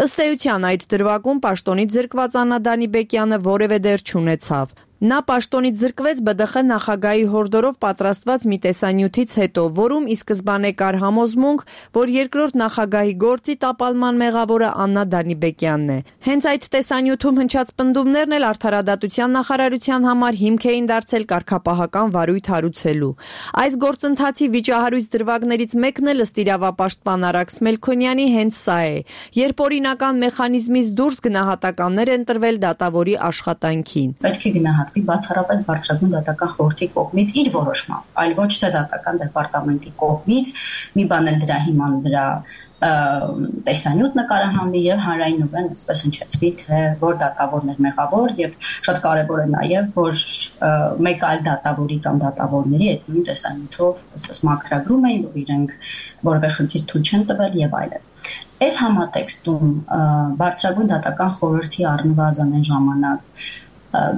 Ըստ էության այդ դրվագում պաշտոնից զրկված Աննա Դանիբեկյանը որևէ դեր չունեցավ։ Նա պաշտոնից զրկվեց Բ Դ Խ նախագահի հորդորով պատրաստված մի տեսանյութից հետո, որում ի սկզբանե կար համոզմունք, որ երկրորդ նախագահի գործի տապալման մեղավորը Աննա Դանիբեկյանն է։ Հենց այդ տեսանյութում հնչած պնդումներն էլ արդարադատության նախարարության համար հիմք էին դարձել կարգապահական վարույթ հարուցելու։ Այս գործընթացի վիճահարույց դրվագներից մեկն էլ ըստ իրավապաշտպան Արաքս Մելքոնյանի հենց սա է, երբ օրինական մեխանիզմից դուրս գնահատականներ են տրվել դատավորի աշխատանքին։ Պետք է գնահատել բացառապես բարձրագույն դատական խորհրդի կողմից իր որոշմամբ, այլ ոչ թե դատական դեպարտամենտի կողմից, մի բան էլ դրա հիման դրա տեսանյութ նկարահանվի եւ հանրայնորեն այսպես հնչեցվի, թե որ դատավորն էր մեղավոր եւ շատ կարեւոր է նաեւ, որ մեկ այլ դատավորի կամ դատավորների այդ նույն տեսանյութով այսպես մակրագրում էին, որ իրենք որևէ խնդիր թույլ չեն տվել եւ այլն։ Այս համատեքստում բարձրագույն դատական խորհրդի առնվազն այն ժամանակ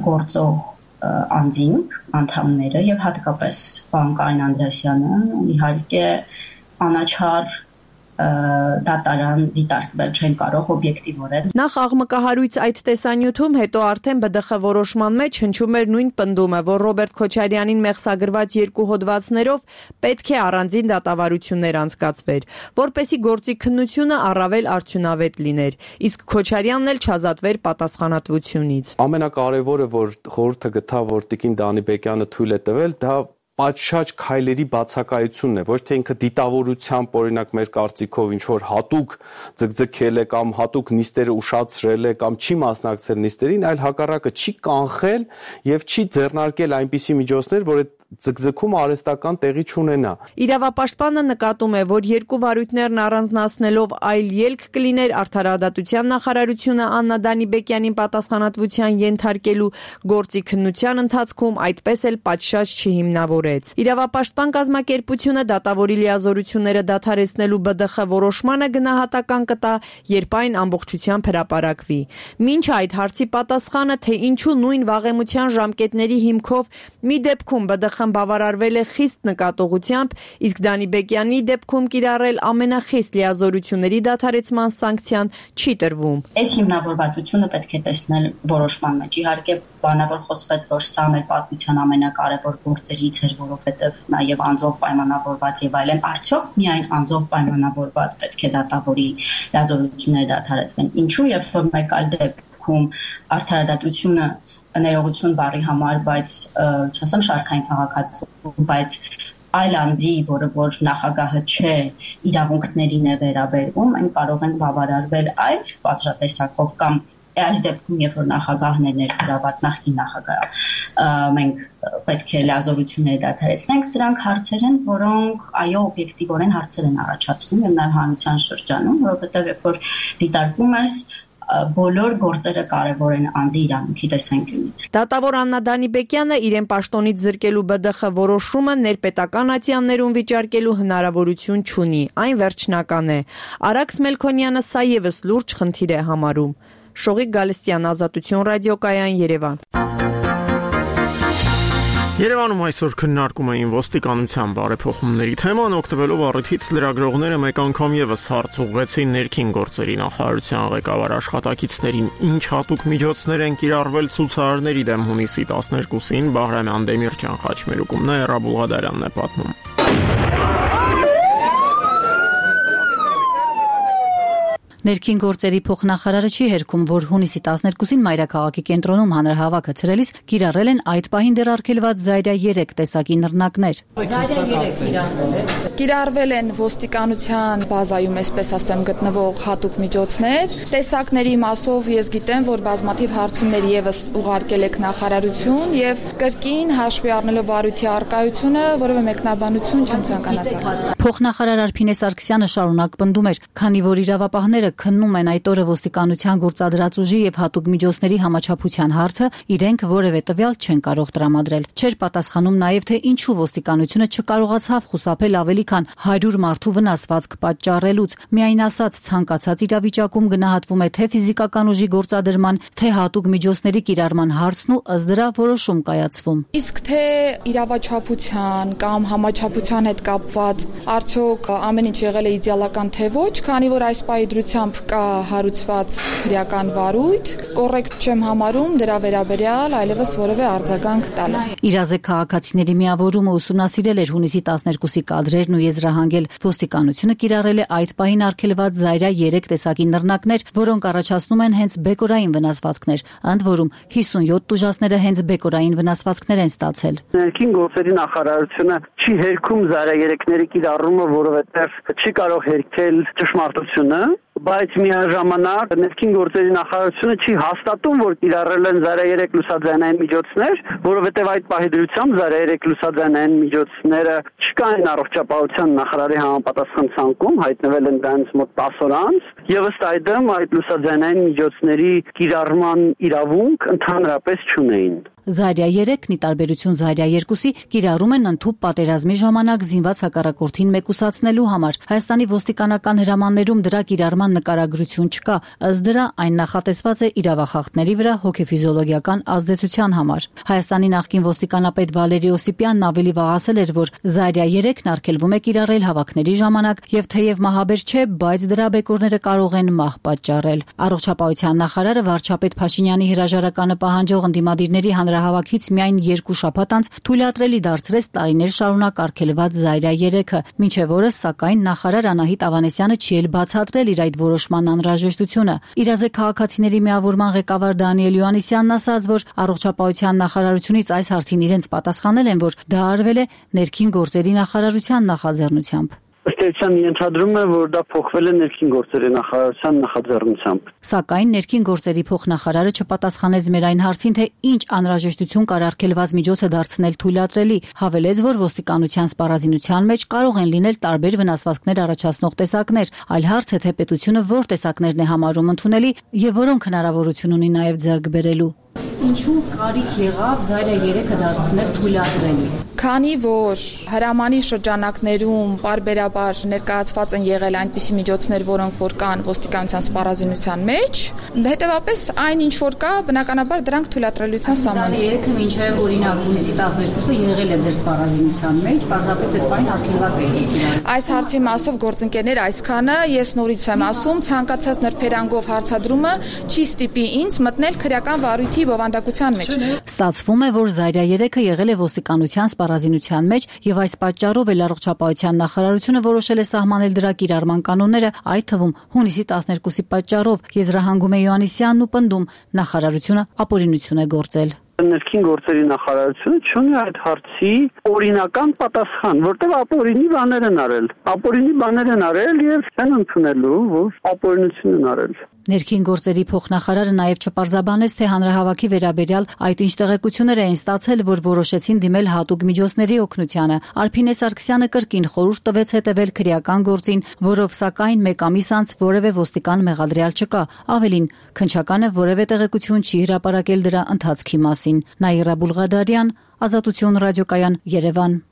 գործող անձինք, անդամները եւ հատկապես պարոն Կարեն Անդրեասյանը իհարկե անաչառ դատարան դիտարկվել չեն կարող օբյեկտիվորեն։ Նախ աղմկահարույց այդ տեսանյութում, հետո արդեն Բ Դ Խ որոշման մեջ հնչում էր նույն պնդումը, որ Ռոբերտ Քոչարյանին մեղսագրված երկու հոդվածներով պետք է առանձին դատավարություններ անցկացվեր, որպեսզի գործի քննությունը առավել արդյունավետ լիներ, իսկ Քոչարյանն էլ չազատվեր պատասխանատվությունից։ Ամենակարևորը, որ խորհուրդը գտավ, որ Տիկին Դանիբեկյանը թույլ է տվել, դա պատշաճ քայլերի բացակայությունն է, ոչ թե ինքը դիտավորությամբ, օրինակ մեր կարծիքով ինչ որ հատուկ ձգձգել է կամ հատուկ նիստերը ուշացրել է կամ չի մասնակցել նիստերին, այլ հակառակը չի կանխել եւ չի ձեռնարկել այնպիսի միջոցներ, որ այդ ձգձգումը արհեստական տեղի չունենա։ Իրավապաշտպանը նկատում է, որ երկու վարույթներն առանձնացնելով այլ ելք կլիներ արդարադատության նախարարությունը Աննա Դանիբեկյանին պատասխանատվության ենթարկելու գործի քննության ընթացքում այդպես էլ պատշաճ չհիմնավորեց։ Իրավապաշտպան կազմակերպությունը դատավորի լիազորությունները դադարեցնելու B D X որոշմանը գնահատական կտա, երբ այն ամբողջությամբ հրապարակվի։ Մինչ այդ հարցի պատասխանը, թե ինչու նույն վաղեմության ժամկետների հիմքով մի դեպքում B D X-ն բավարարվել է խիստ նկատողությամբ, իսկ Դանիբեկյանի դեպքում կիրառել ամենախիստ լիազորությունների դադարեցման սանկցիան չի տրվում։ Այս հիմնավորվածությունը պետք է տեսնել որոշման մեջ։ Իհարկե բանավոր խոսվեց, որ սա մեր պատմության ամենակարևոր գործերից էր, որովհետև նաև անձով պայմանավորված եւ այլն, արդյոք միայն անձով պայմանավորված պետք է դատավորի լիազորությունները դադարեցվեն։ Ինչու եւ որ մեկ այլ դեպքում արդարադատությունը ներողություն բառի համար, բայց չասեմ շարքային քաղաքացու, բայց այլ անձի, որը որ նախագահը չէ, իրավունքներին է վերաբերվում, այն կարող են բավարարվել այլ պատժատեսակով կամ այս դեպքում, երբ որ նախագահն է ներգրաված նախկին նախագահը, մենք պետք է լիազորությունները դադարեցնենք, սրանք հարցեր են, որոնք այո օբյեկտիվորեն հարցեր են առաջացնում եւ նաեւ հանրության շրջանում, որովհետեւ երբ որ դիտարկում ես բոլոր գործերը կարևոր են անձի իրավունքի տեսանկյունից։ Դատավոր Աննա Դանիբեկյանը իրեն պաշտոնից զրկելու B D X որոշումը ներպետական ատյաններում վիճարկելու հնարավորություն չունի, այն վերջնական է։ Արաքս Մելքոնյանը սա եւս լուրջ խնդիր է համարում։ Շողիկ Գալստյան, Ազատություն ռադիոկայան, Երևան։ Երևանում այսօր քննարկում էին ոստիկանության բարեփոխումների թեման, օգտվելով առիթից լրագրողները մեկ անգամ եւս հարց ուղղեցին ներքին գործերի նախարարության ղեկավար աշխատակիցներին, ինչ հատուկ միջոցներ են կիրառվել ցուցարարների դեմ հունիսի տասներկուսին, Բահրամյան Դեմիրճյան խաչմերուկում Նաիրա Բուլղադարյանն է պատմում։ Ներքին գործերի փոխնախարարը չի հերքում, որ հունիսի տասներկուսին Մայրաքաղաքի կենտրոնում հանրահավաքը ցրելիս կիրառել են այդ պահին դեռ արգելված Զայրա երեք տեսակի նռնակներ։ Զայրա երեք կիրառվել է։ Կիրառվել են ոստիկանության բազայում, այսպես ասեմ, գտնվող հատուկ միջոցներ։ Տեսակների մասով ես գիտեմ, որ բազմաթիվ հարցումներ եւս ուղարկել եք նախարարություն եւ կրկին հաշվի առնելով վարույթի արկայությունը, որևէ մեկնաբանություն չեմ ցանկանացել։ Փոխնախարար Արփինե Սարգսյանը շարունակ պնդում էր, քանի որ իրավապահները քննում են այդ օրը ոստիկանության գործադրած ուժի եւ հատուկ միջոցների համաչափության հարցը, իրենք որևէ տվյալ չեն կարող տրամադրել։ Չէր պատասխանում նաեւ, թե ինչու ոստիկանությունը չկարողացավ խուսափել ավելի քան հարյուր մարդու վնասվածք պատճառելուց։ Միայն ասած, ցանկացած իրավիճակում գնահատվում է թե ֆիզիկական ուժի գործադրման, թե հատուկ միջոցների կիրառման հարցն ու ըստ դրա որոշում կայացվում։ Իսկ թե իրավաչափության կամ համաչափության հետ կապված արդյոք ամեն ինչ եղել է իդեալական թե ոչ, քանի որ այս պահի դրությամբ կա հարուցված քրեական վարույթ, կոռեկտ չեմ համարում դրա վերաբերյալ այլևս որևէ արձագանք տալը։ Իրազեկ քաղաքացիների միավորումը ուսումնասիրել էր հունիսի տասներկուսի կադրերն ու եզրահանգել ոստիկանությունը կիրառել է այդ պահին արգելված Զայրա երեք տեսակի նռնակներ, որոնք առաջացնում են հենց բեկորային վնասվածքներ, ընդ որում հիսունյոթ տուժածները հենց բեկորային վնասվածքներ են ստացել։ Ներքին գործերի նախարարությունը չի հերքում Զայրա երեքների կիրառումը, որովհետև չի կարող հերքել ճշմարտությունը, բայց միաժամանակ ներքին գործերի նախարարությունը չի հաստատում, որ կիրառել են Զայրա երեք լուսաձայնային միջոցներ, որովհետև այդ պահի դրությամբ Զայրա երեք լուսաձայնային միջոցները չկային առողջապահության նախարարի համապատասխան ցանկում, հայտնվել են դրանց մոտ տասը օր անց, եւ ըստ այդմ այդ լուսաձայնային միջոցների կիրառման իրավունք ընդհանրապես չունեին։ Զայրա երեքն ի տարբերություն Զայրա երկուսի կիրառում են ընդհուպ պատերազմի ժամանակ զինված հակառակորդին մեկուսացնելու համար։ Հայաստանի ոստիկանական հրամաններում դրա կիրառման նկարագրություն չկա, ըստ դրա այն նախատեսված է իրավախախտների վրա հոգեֆիզիոլոգիական ազդեցության համար։ Հայաստանի նախկին ոստիկանապետ Վալերի Օսիպյանն ավելի վաղ ասել էր, որ Զայրա երեքն արգելվում է կիրառել հավաքների ժամանակ եւ թեև մահաբեր չէ, բայց դրա բեկորները կարող են մահ պատճառել։ Առողջապահության նախարարը վարչապետ Փաշինյանի հրաժարականը պահանջող ընդդիմադիրների հանրահավաքից միայն երկու շաբաթ անց թույլատրելի դարձրեց տարիներ շարունակ արգելված Զայրա երեքը, մինչև օրս սակայն նախարար Անահիտ Ավանեսյանը չի էլ բացատրել իր այդ որոշման անհրաժեշտությունը։ Իրազեկ քաղաքացիների միավորման ղեկավար Դանիել Յոհաննիսյանն ասաց, որ առողջապահության նախարարությունից այս հարցին իրենց պատասխանել են, որ դա արվել է ներքին գործերի նախարարության նախաձեռնությամբ։ ըստ էության ենթադրում է, որ դա փոխվել է ներքին գործերի նախարարության նախաձեռնությամբ։ Սակայն ներքին գործերի փոխնախարարը չպատասխանեց մեր այն հարցին, թե ինչ անհրաժեշտություն կար արգելված միջոցը դարձնել թույլատրելի, հավելեց, որ ոստիկանության սպառազինության մեջ կարող են լինել տարբեր վնասվածքներ առաջացնող տեսակներ, այլ հարց է, թե պետությունը որ տեսակներն է համարում ընդունելի եւ որոնք հնարավորություն ունի նաեւ ձեռք բերելու։ Ինչու կարիք եղավ Զայրա երեքը դարձնել թույլատրելի։ Քանի որ հրամանի շրջանակներում բարբերաբար ներկայացված են եղել այնպիսի միջոցներ, որոնք որ կան ոստիկանության սպառազինության մեջ, հետևաբար այն ինչ որ կա, բնականաբար դրանք թույլատրելիության սահմանում։ Զայրա երեքը մինչև օրինակ հունիսի տասներկուսը եղել է ձեր սպառազինության մեջ, պարզապես այդ բանը արգելված է եղել։ Այս հարցի մասով գործընկերներ այսքանը ես նորից եմ ասում, ցանկացած նրբերանգով հարցադրումը չի ստիպի ինձ մտնել քրեական վարույթի բովանդակության մեջ։ Ստացվում է, որ Զայրա երեքը եղել է ոստիկանության սպառազինության մեջ եւ այս պատճառով էլ առողջապահության նախարարությունը որոշել է սահմանել դրա կիրառման կանոնները, այդ թվում հունիսի տասներկուսի պատճառով։ Եզրահանգում է Յոհաննիսյանն ու պնդում, նախարարությունը ապօրինություն է գործել։ Ներքին գործերի նախարարությունը չունի այդ հարցի օրինական պատասխան, որտեղ ապօրինի բաներ են արել։ Ապօրինի բաներ են արել եւ չեն ընդունելու, որ ապօրինություն են արել։ Ներքին գործերի փոխնախարարը նաև չպարզաբանեց, թե հանրահավաքի վերաբերյալ այդ ինչ տեղեկություններ էին ստացել, որ որոշեցին դիմել հատուկ միջոցների օգնությանը։ Արփինե Սարգսյանը կրկին խորհուրդ տվեց հետևել քրեական գործին, որով սակայն մեկ ամիս անց որևէ ոստիկան մեղադրյալ չկա։ Ավելին, քննչականը որևէ տեղեկություն չի հրապարակել դրա ընթացքի մասին։ Նաիրա Բուլղադարյան, Ազատություն ռադիոկայան, Երևան։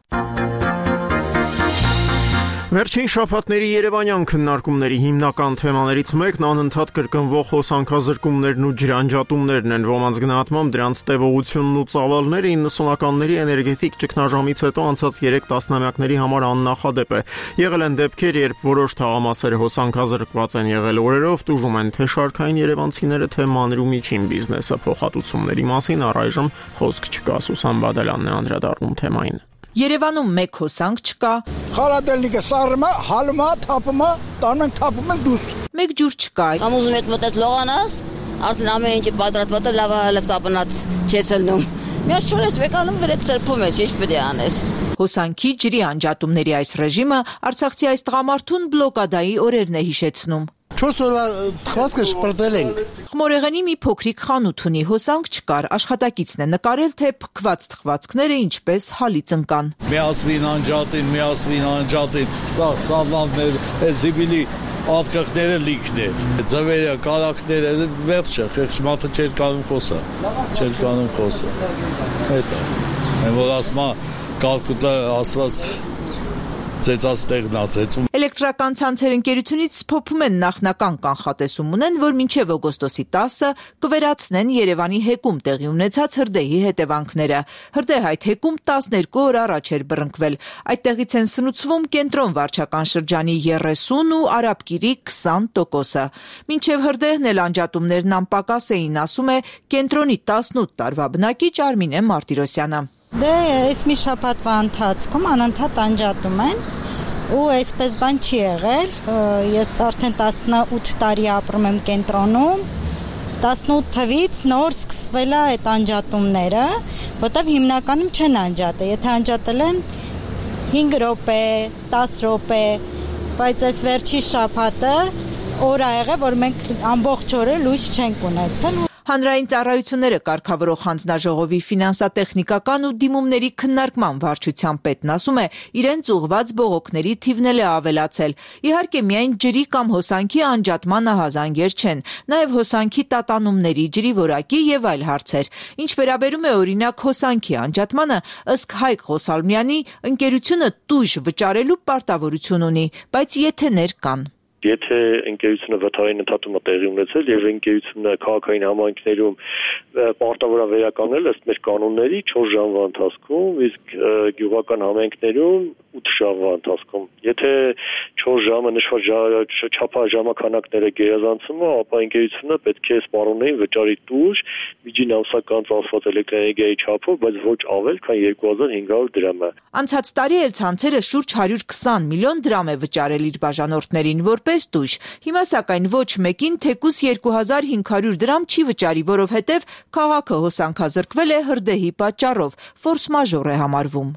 Վերջին շաբաթների երևանյան քննարկումների հիմնական թեմաներից մեկն անընդհատ կրկնվող հոսանքազրկումներն ու ջրանջատումներն են, ոմանց գնահատմամբ դրանց տևողությունն ու ծավալները իննսունականների էներգետիկ ճգնաժամից հետո անցած երեք տասնամյակների համար աննախադեպ է։ Եղել են դեպքեր, երբ որոշ թաղամասեր հոսանքազրկված են եղել օրերով, տուժում են թե շարքային երևանցիները, թե մանր ու միջին բիզնեսը։ Փոխհատուցումների մասին առայժմ խոսք չկա, Սուսան Բադալյանն է անդրադառնում թեմային։ Երևանում մեկ հոսանք չկա։ Խալատելնիկը սառում է, հալում է, թափում է, տանում ենք, թափում ենք դուրս։ Մեկ ջուր չկա։ Ամուզում հետ մտած լողանաս, արդեն ամեն ինչը պատրաստված է, լավ հալասապնած չես լնում։ Մի հատ շորես վեկանում վրետ սրբում ես, ինչ պետք է անես։ Հոսանքի ջրի անջատումների այս ռեժիմը արցախցի այս տղամարդուն բլոկադայի օրերն է հիշեցնում։ չորս օրվա թվացքը շպրտել ենք։ Խմորեղենի մի փոքրիկ խանութ ունի, հոսանք չկար, աշխատակիցն է նկարել, թե փքված թխվածքները ինչպես հալից ընկան։ Միասին անջատին, միասին անջատին, սա սալաններ, զիբիլի ատկղները լիքն է, ձվերը, կարակները, վերջը, խեղճմատը չեր կանում խոսը, չեր կանում խոսը, հետը, են որ ասմա կալկուտը ասված ծեծած տեղնացեցում։ Էլեկտրական ցանցեր ընկերությունից փոփում են նախնական կանխատեսում ունեն, որ մինչև օգոստոսի տասը կվերացնեն Երևանի հեկում տեղի ունեցած հրդեհի հետևանքները։ Հրդեհ այդ հեկում տասներկու օր առաջ էր բռնկվել։ Այդտեղից են սնուցվում կենտրոն վարչական շրջանի երեսուն ու Արաբկիրի քսան տոկոսը։ Մինչև հրդեհն էլ անջատումներն անպակաս էին, ասում է կենտրոնի տասնութ տարվա բնակիչ Արմինե Մարտիրոսյանը։ Դե այս մի շաբաթվա ընթացքում անընդհատ անջատում են ու այսպես բան չի եղել։ Ես արդեն տասնութ տարի ապրում եմ կենտրոնում, տասնութ թվից նոր սկսվել է այդ անջատումները, որտեղ հիմնականում չեն անջատել, եթե անջատել են հինգ րոպե, տասը րոպե, բայց այս վերջի շաբաթը օր ա եղել, որ մենք ամբողջ օրը լույս չենք ունեցել։ Հանրային ծառայությունները կարգավորող հանձնաժողովի ֆինանսատեխնիկական ու դիմումների քննարկման վարչության պետն ասում է, իրենց ուղղված բողոքների թիվն էլ է ավելացել։ Իհարկե, միայն ջրի կամ հոսանքի անջատման ահազանգեր չեն, նաև հոսանքի տատանումների, ջրի որակի եւ այլ հարցեր։ Ինչ վերաբերում է օրինակ հոսանքի անջատմանը, ըստ Հայկ Ղոսալմյանի, ընկերությունը տույժ վճարելու պարտավորություն ունի, բայց եթեներ կան։ Եթե ընկերությունը վթարային ընդհատումը տեղի ունեցել եւ ընկերությունը քաղաքային համայնքներում պարտավոր է վերականգնել ըստ մեր կանոնների չորս ժամվա ընթացքում, իսկ գյուղական համայնքներում ութ ժամվա ընթացքում։ Եթե չորս ժամը նշված չափահաս ժամանակները գերազանցում է, ապա ընկերությունը պետք է սպառողներին վճարի տուժ միջին ամսական ծախսված էլեկտրաէներգիայի չափով, բայց ոչ ավել, քան երկու հազար հինգ հարյուր դրամ է։ Անցած տարի էլ ցանցերը շուրջ հարյուր քսան միլիոն դրամ է վճարել իր բաժանորդներին, որպես տույժ։ Հիմա սակայն ոչ մեկին թեկուզ երկու հազար հինգ հարյուր դրամ չի վճարի, որովհետև քաղաքը հոսանքազրկվել է հրդեհի պատճառով, ֆորս մաժոր է համարվում։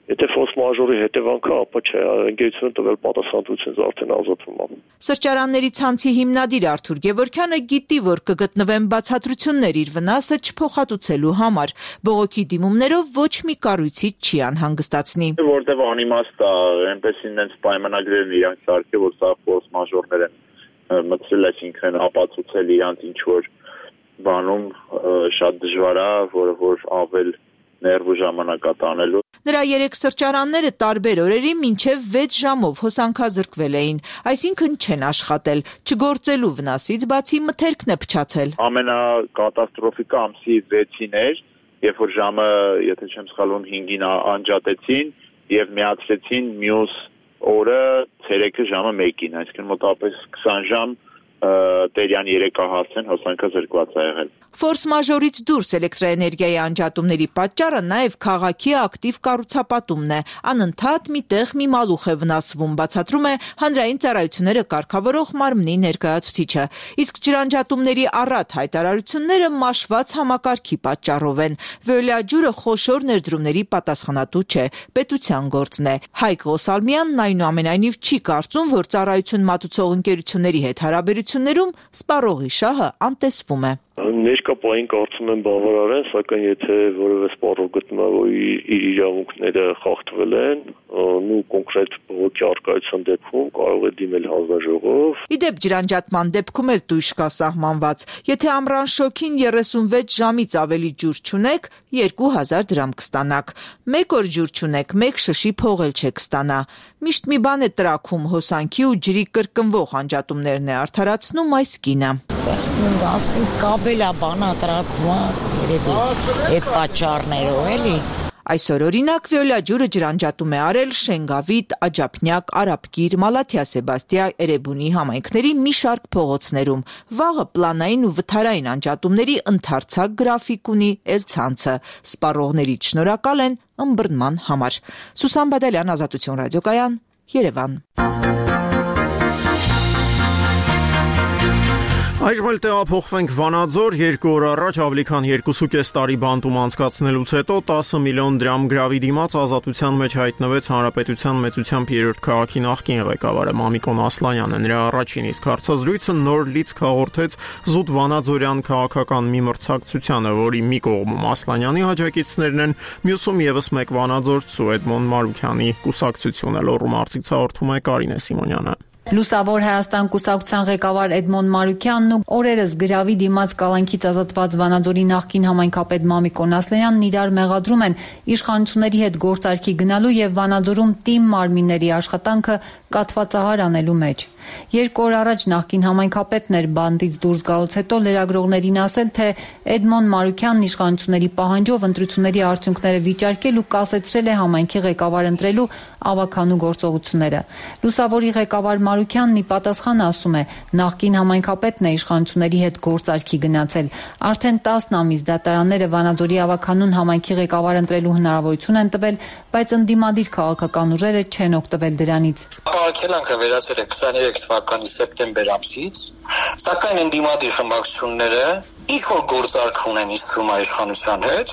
Եթե ֆորս մաժորի հետևանքը, ապա չէ, ընկերությունը տվել պատասխանատվությունից արդեն ազատվում է։ Սրճարանների ցանցի հիմնադիր Արթուր Գևորգյանը գիտի, որ կգտնվեն բացատրություններ իր վնասը չփոխհատուցելու համար։ Բողոքի դիմումներով ոչ մի կառույցի չի անհանգստացնի։ Որտեվ անիմաստ է, այնպես ինձ պայմանագրերն իրանք սարքել, որ սա ֆորս մաժորներ են մտցրել, այսինքն ապացուցել իրանք ինչ որ բանում շատ դժվար է, որը որ ավել ներվու ժամանակատանելու։ Նրա երեք սրճարանները տարբեր օրերի մինչև վեց ժամով հոսանքազրկվել էին, այսինքն չեն աշխատել, չգործելու վնասից բացի մթերքն է փչացել։ Ամենակատաստրոֆիկը ամսի վեցին էր, երբ որ ժամը, եթե չեմ սխալվում, հինգին անջատեցին եւ միացրեցին մյուս օրը ցերեկը ժամը մեկին, այսինքն մոտավորապես քսան ժամ տերյան երեկահասեն հոսանքազրկված է եղել։ Ֆորս մաժորից դուրս էլեկտրաէներգիայի անջատումների պատճառը նաև քաղաքի ակտիվ կառուցապատումն է։ Անընդհատ միտեղ մի մալուխ է վնասվում, բացատրում է հանրային ծառայությունները կարգավորող մարմնի ներկայացուցիչը։ Իսկ ջրանջատումների առատ հայտարարությունները մաշված համակարգի պատճառով են։ Վեոլիա ջուրը խոշոր ներդրումների պատասխանատու չէ, պետության գործն է։ Հայկ Ղոսալմյանն այնուամենայնիվ չի կարծում, որ ծառայություն մատուցող ընկերությունների հետ հարաբերություններում սպառողի շահը անտեսվում է։ Ներկա պահին կարծում եմ բավարար են, սակայն եթե որևէ սպառող գտնվի, որ իր իրավունքները խախտվել են, ու կոնկրետ բողոքի առկայության դեպքում կարող է դիմել հանձնաժողով։ Իդեպ ջրանջատման դեպքում էլ տույժ կա սահմանված։ Եթե ամռան շոգին երեսունվեց ժամից ավելի ջուր չունեք, երկու հազար դրամ կստանաք։ Մեկ օր ջուր չունեք, մեկ շշի փող էլ չեք ստանա։ Միշտ մի բան է տրաքում հոսանքի ու ջրի կրկնվող անջատումներն է արդարացնում այս կինը։ Ասենք կաբելա բանա տրակում երևի այդ պատճառներով էլի։ Այսօր օրինակ Վեոլիա ջուրը ջրանջատում է արել Շենգավիթ, Աջափնյակ, Արաբկիր, Մալաթիա Սեբաստիա, Էրեբունի համայնքների մի շարք փողոցներում։ Վաղը պլանային ու վթարային անջատումների ընդարձակ գրաֆիկ ունի էլ ցանցը։ Սպառողներից շնորհակալ են ըմբռնման համար։ Սուսան Բադալյան, Ազատություն ռադիոկայան, Երևան։ Այժմ էլ տեղափոխվենք Վանաձոր, երկու օր առաջ ավելի քան երկու կես տարի բանտում անցկացնելուց հետո տասը միլիոն դրամ գրավի դիմաց ազատության մեջ հայտնվեց Հանրապետության մեծությամբ երրորդ քաղաքի նախկին ղեկավարը Մամիկոն Ասլանյանը։ Նրա առաջին իսկ հարցազրույցը նոր լիցք հաղորդեց զուտ վանաձորյան քաղաքական մի մրցակցությանը, որի մի կողմում Ասլանյանի աջակիցներն են, մյուսում եւս մեկ վանաձորցու Էդմոն Մարուքյանի կուսակցությունը։ Լոռու մարզից հաղորդում է Կարինե Սիմոնյանը։ Լուսավոր Հայաստան կուսակցության ղեկավար Էդմոն Մարուքյանն ու օրերս գրավի դիմաց կալանքից ազատված Վանաձորի նախկին համայնքապետ Մամիկոն Ասլանյանն իրար մեղադրում են իշխանությունների հետ գործարքի գնալու եւ Վանաձորում թիմ մարմինների աշխատանքը կաթվածահար անելու մեջ։ Երկու օր առաջ նախկին համայնքապետն էր բանդից դուրս գալուց հետո լրագրողներին ասել, թե Էդմոն Մարուքյանն իշխանությունների պահանջով ընտրությունների արդյունքները վիճարկել ու կասեցրել է համայնքի ղեկավար ընտրելու ավականու գործողությունները։ Լուսավորի ղեկավար Մարուքյանն ի պատասխան ասում է, նախկին համայնքապետն է իշխանությունների հետ գործարքի գնացել։ Արդեն տասն ամիս դատարանները Վանաձորի ավականուն համայնքի ղեկավար ընտրելու հնարավորություն են տվել, բայց ընդդիմադիր քաղաքական ուժերը չեն օգտվել դրանից։ Արգելանքը վերացել է քսաներեք թվականի սեպտեմբեր ամսից, սակայն ընդդիմադիր խմբակցությունները ինչ որ գործարք ունեն իսկում իշխանության հետ,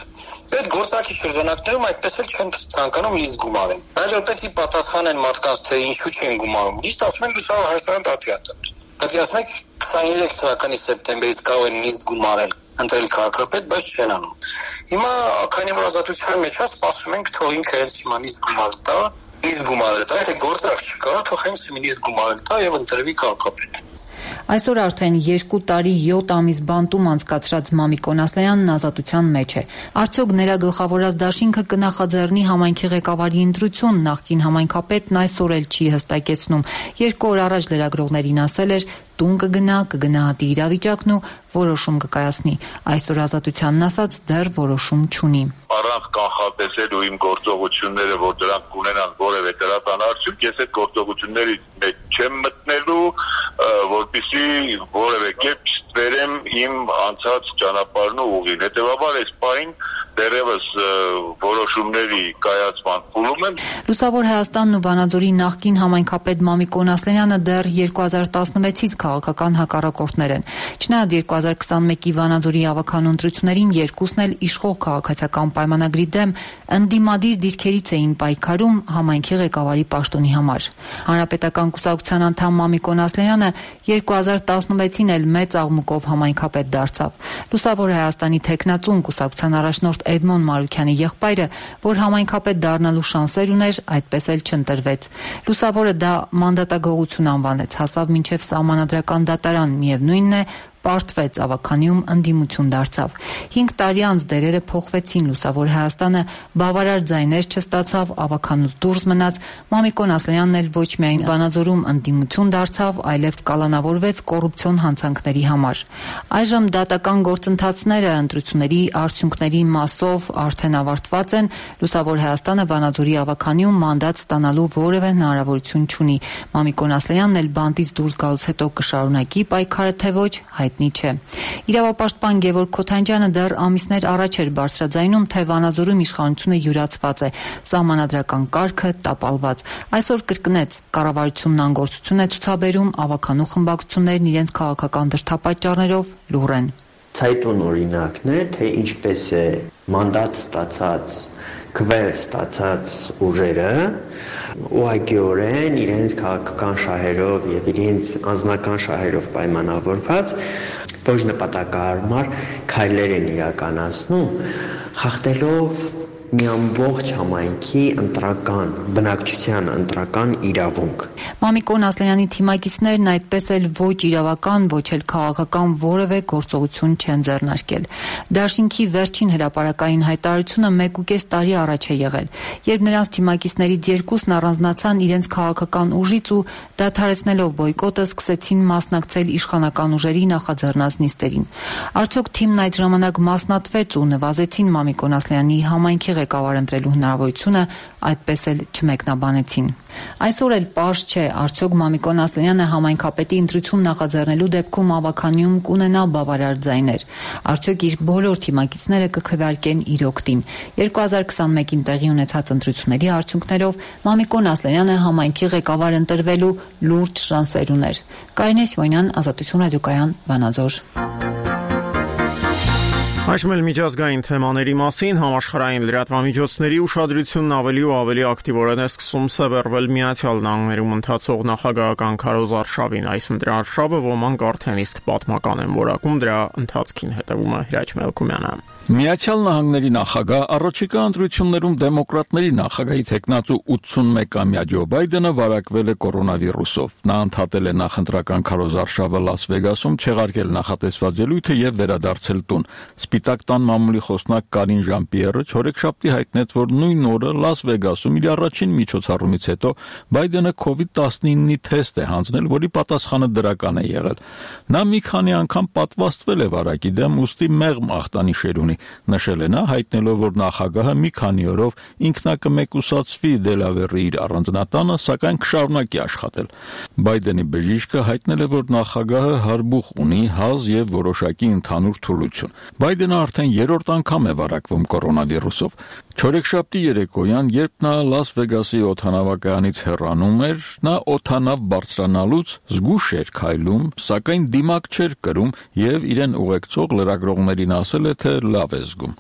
այդ գործարքի շրջանակներում այդպես էլ չեն ցանկանում լիստ գումարեն։ Հաջորդեցի պատասխան են մարդկանց, թե ինչու չեն գումարում։ Լիստ ասում են Լուսավոր Հայաստան դատիատը։ Պետք է ասում եք քսաներեք թվականի սեպտեմբերից կարող են լիստ գումարել ընտրել քաղաքապետ, բայց չեն անում։ Հիմա քանի որ ազատության մեջ է, սպասում ենք թող ինքը հենց հիմա լիստ գումարը տա, լիստ գումարը տա, եթե գործարք չկա, թող հենց լիստ գումարը տա եւ ընտրվի քաղաքապետ։ Այսօր արդեն երկու տարի յոթ ամիս բանտում անցկացրած Մամիկոն Ասլանյանն ազատության մեջ է։ Արդյոք նրա գլխավորած դաշինքը կնախաձեռնի համայնքի ղեկավարի ընտրություն, նախկին համայնքապետն այսօր էլ չի հստակեցնում։ Երկու օր առաջ լրագրողներին ասել էր, տուն կգնա, կգնահատի իրավիճակն ու որոշում կկայացնի։ Այսօր ազատությանն ասած դեռ որոշում չունի։ Առանց կանխատեսելու իմ գործողությունները, որ դրանք կունենան որևէ դրական արդյունք, ես այդ գործողությունների մեջ չեմ մտնելու, որպեսզի որևէ կերպ ստվերեմ իմ անցած ճանապարհն ու ուղին։ Հետևաբար այս պահին դեռևս որոշումների կայացման փուլում շնորհում եմ։ Լուսավոր Հայաստանն ու Վանաձորի նախկին համայնքապետ Մամիկոն Ասլենյանը դեռ երկու հազար տասնվեցից քաղաքական հակառակորդներ են։ Չնայած երկու հազար քսանմեկի Վանաձորի ավականու ընտրություններին երկուսն էլ իշխող քաղաքացիական պայմանագրի դեմ ընդդիմադիր դիրքերից էին պայքարում համայնքի ղեկավարի պաշտոնի համար։ Հանրապետական կուսակցության անդամ Մամիկոն Ասլենյանը երկու հազար տասնվեցին էլ մեծ աղմուկով համայնքապետ դարձավ։ Լուսավոր Հայաստանի թեկնածուն կուսակցության առաջնորդ Էդմոն Մարուքյանի եղբայրը, որ համայնքապետ դառնալու շանսեր ուներ, այդպես էլ չընտրվեց։ Լուսավորը դա մանդատագողություն անվանեց, հասավ մինչև սահմանադրական դատարան, միևնույնն է, պարտվեց, ավականիում ընդդիմություն դարձավ։ Հինգ տարի անց դերերը փոխվեցին, Լուսավոր Հայաստանը բավարար ձայներ չստացավ, ավականուց դուրս մնաց, Մամիկոն Ասլենյանն էլ ոչ միայն Վանաձորում ընդդիմություն դարձավ, այլև կալանավորվեց կոռուպցիոն հանցանքների համար։ Այժմ դատական գործընթացները ընտրությունների արդյունքների մասով արդեն ավարտված են, Լուսավոր Հայաստանը Վանաձորի ավականիում մանդատ ստանալու որևէ հնարավորություն չունի։ Մամիկոն Ասլենյանն էլ բանտից դուրս գալուց հետո կշարունակի պայքարը, թե ոչ, հայտնի չէ։ Իրավապաշտպան Գևորգ Քոթանջյանը դեռ ամիսներ առաջ էր բարձրաձայնում, թե Վանաձորում իշխանությունը յուրացված է, սահմանադրական կարգը տապալված։ Այսօր կրկնեց, կառավարությունն անգործություն է ցուցաբերում, ավականու խմբակցություններն իրենց քաղաքական դրդապատճառներով լուռ են։ Ցայտուն օրինակն է, թե ինչպես է մանդատ ստացած քվեր ստացած ուժերը ուղղակիորեն իրենց քաղաքական շահերով եւ իրենց անձնական շահերով պայմանավորված ոչ նպատակահարմար քայլեր են իրականացնում, խախտելով մի ամբողջ համայնքի ընտրական, բնակչության ընտրական իրավունք։ Մամիկոն Ասլենյանի թիմակիցներն այդպես էլ ոչ իրավական, ոչ էլ քաղաքական որևէ գործողություն չեն ձեռնարկել։ Դաշինքի վերջին հրապարակային հայտարարությունը մեկ ու կես տարի առաջ է եղել, երբ նրանց թիմակիցներից երկուսն առանձնացան իրենց քաղաքական ուժից ու դադարեցնելով բոյկոտը սկսեցին մասնակցել իշխանական ուժերի նախաձեռնած նիստերին։ Արդյոք թիմն այդ ժամանակ մասնատվեց ու նվազեցին Մամիկոն Ասլենյանի համայնքի ղեկավար ընտրելու հնարավորությունը, այդպես էլ չմեկնաբանեցին։ Այսօր էլ պարզ չէ, արդյոք Մամիկոն Ասլենյանը համայնքապետի ընտրություն նախաձեռնելու դեպքում ավականիում կունենա բավարար ձայներ։ Արդյոք իր բոլոր թիմակիցները կքվեարկեն իր օգտին։ երկու հազար քսանմեկին տեղի ունեցած ընտրությունների արդյունքներով Մամիկոն Ասլենյանը համայնքի ղեկավար ընտրվելու լուրջ շանսեր ուներ։ Կարինե Սիմոնյան, Ազատություն ռադիոկայան, Վանաձոր։ Այժմ էլ միջազգային թեմաների մասին համաշխարհային լրատվամիջոցների ուշադրությունն ավելի ու ավելի ակտիվորեն է սկսում սևեռվել Միացյալ Նահանգներում ընթացող նախագահական քարոզարշավին։ Այս ընտրարշավը ոմանք արդեն իսկ պատմական են որակում, դրա ընթացքին հետևում է Հրաչ Մելքումյանը։ Միացյալ Նահանգների նախագահ առաջիկա ընտրություններում դեմոկրատների նախագահի թեկնածու ութսունմեկամյա Ջո Բայդենը վարակվել է կորոնավիրուսով։ Նա ընդհատել է նախընտրական քարոզարշավը Լաս Վեգասում, չեղարկել նախատեսված ելույթը եւ վերադարձել տուն։ Սպիտակ տան մամուլի խոսնակ Կարին Ժան-Պիերը չորեքշաբթի հայտնեց, որ նույն օրը Լաս Վեգասում իր առաջին միջոցառումից հետո Բայդենը քովիդ տասնինի թեստ է հանձնել, որի պատասխանը դրական է եղել։ Նա մի քանի անգամ պատվաստվել է վարակի դեմ, ուստի մեղմ ախտանիշեր ունի։ Նշել է նա, հայտնելով, որ նախագահը մի քանի օրով ինքնակմեկուսացվի Դելավերի իր առանձնատանը, սակայն կշարունակի աշխատել։ Բայդենի բժիշկը հայտնել է, որ նախագահը հարբուխ ունի, հազ եւ որոշակի ընդհանուր թուլություն։ Բայդենը արդեն երրորդ անգամ է վարակվում կորոնավիրուսով։ Չորեքշաբթի երեկոյան, երբ նա Լաս Վեգասի օդանավակայանից հեռանում էր, նա օդանավ բարձրանալուց զգուշ էր քայլում, սակայն դիմակ չէր կրում եւ իրեն ուղեկցող լրագրողներին ասել է, թե լավ է զգում։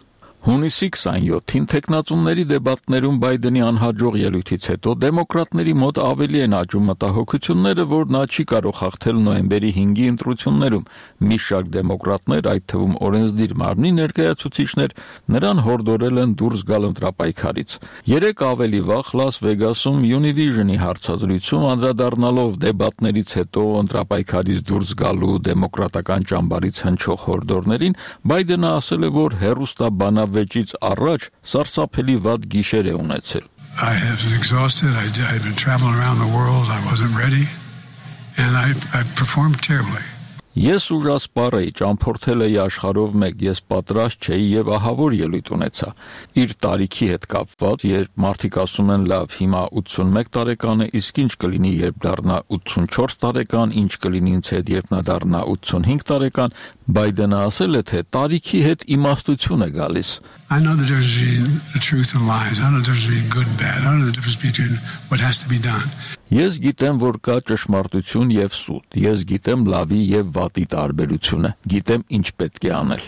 Հունիսի քսանյոթին թեկնածուների դեբատներում Բայդենի անհաջող ելույթից հետո դեմոկրատների մոտ ավելի են աճում մտահոգությունները, որ նա չի կարող հաղթել նոյեմբերի հինգի ընտրություններում։ Մի շարք դեմոկրատներ, այդ թվում օրենսդիր մարմնի ներկայացուցիչներ, նրան հորդորել են դուրս գալ ընտրապայքարից։ Երեք ավելի վաղ Լաս Վեգասում Univision-ի հարցազրույցում անդրադառնալով դեբատներից հետո ընտրապայքարից դուրս գալու դեմոկրատական ճամբարից հնչող հորդորներին, Բայդենը ասել է, որ հեռուստաբանավ վեճից առաջ սարսափելի վատ գիշեր է ունեցել։ I have exhausted. I I've been traveling around the world. I wasn't ready and I I performed terribly. Ես ուժասպառ էի, ճամփորդել էի աշխարհով մեկ, ես պատրաստ չէի եւ ահավոր ելույթ ունեցա։ Իր տարիքի հետ կապված, երբ մարդիկ ասում են լավ, հիմա ութսունմեկ տարեկան է, իսկ ինչ կլինի, երբ դառնա ութսունչորս տարեկան, ինչ կլինի ինձ հետ, երբ նա դառնա ութսունհինգ տարեկան, Բայդենը ասել է, թե տարիքի հետ իմաստություն է գալիս. I know the difference between the truth and lies. I know the difference between good and bad. I know the difference between what has to be done. Ես գիտեմ, որ կա ճշմարտություն եւ սուտ։ Ես գիտեմ լավի եւ վատի տարբերությունը։ Գիտեմ ինչ պետք է անել։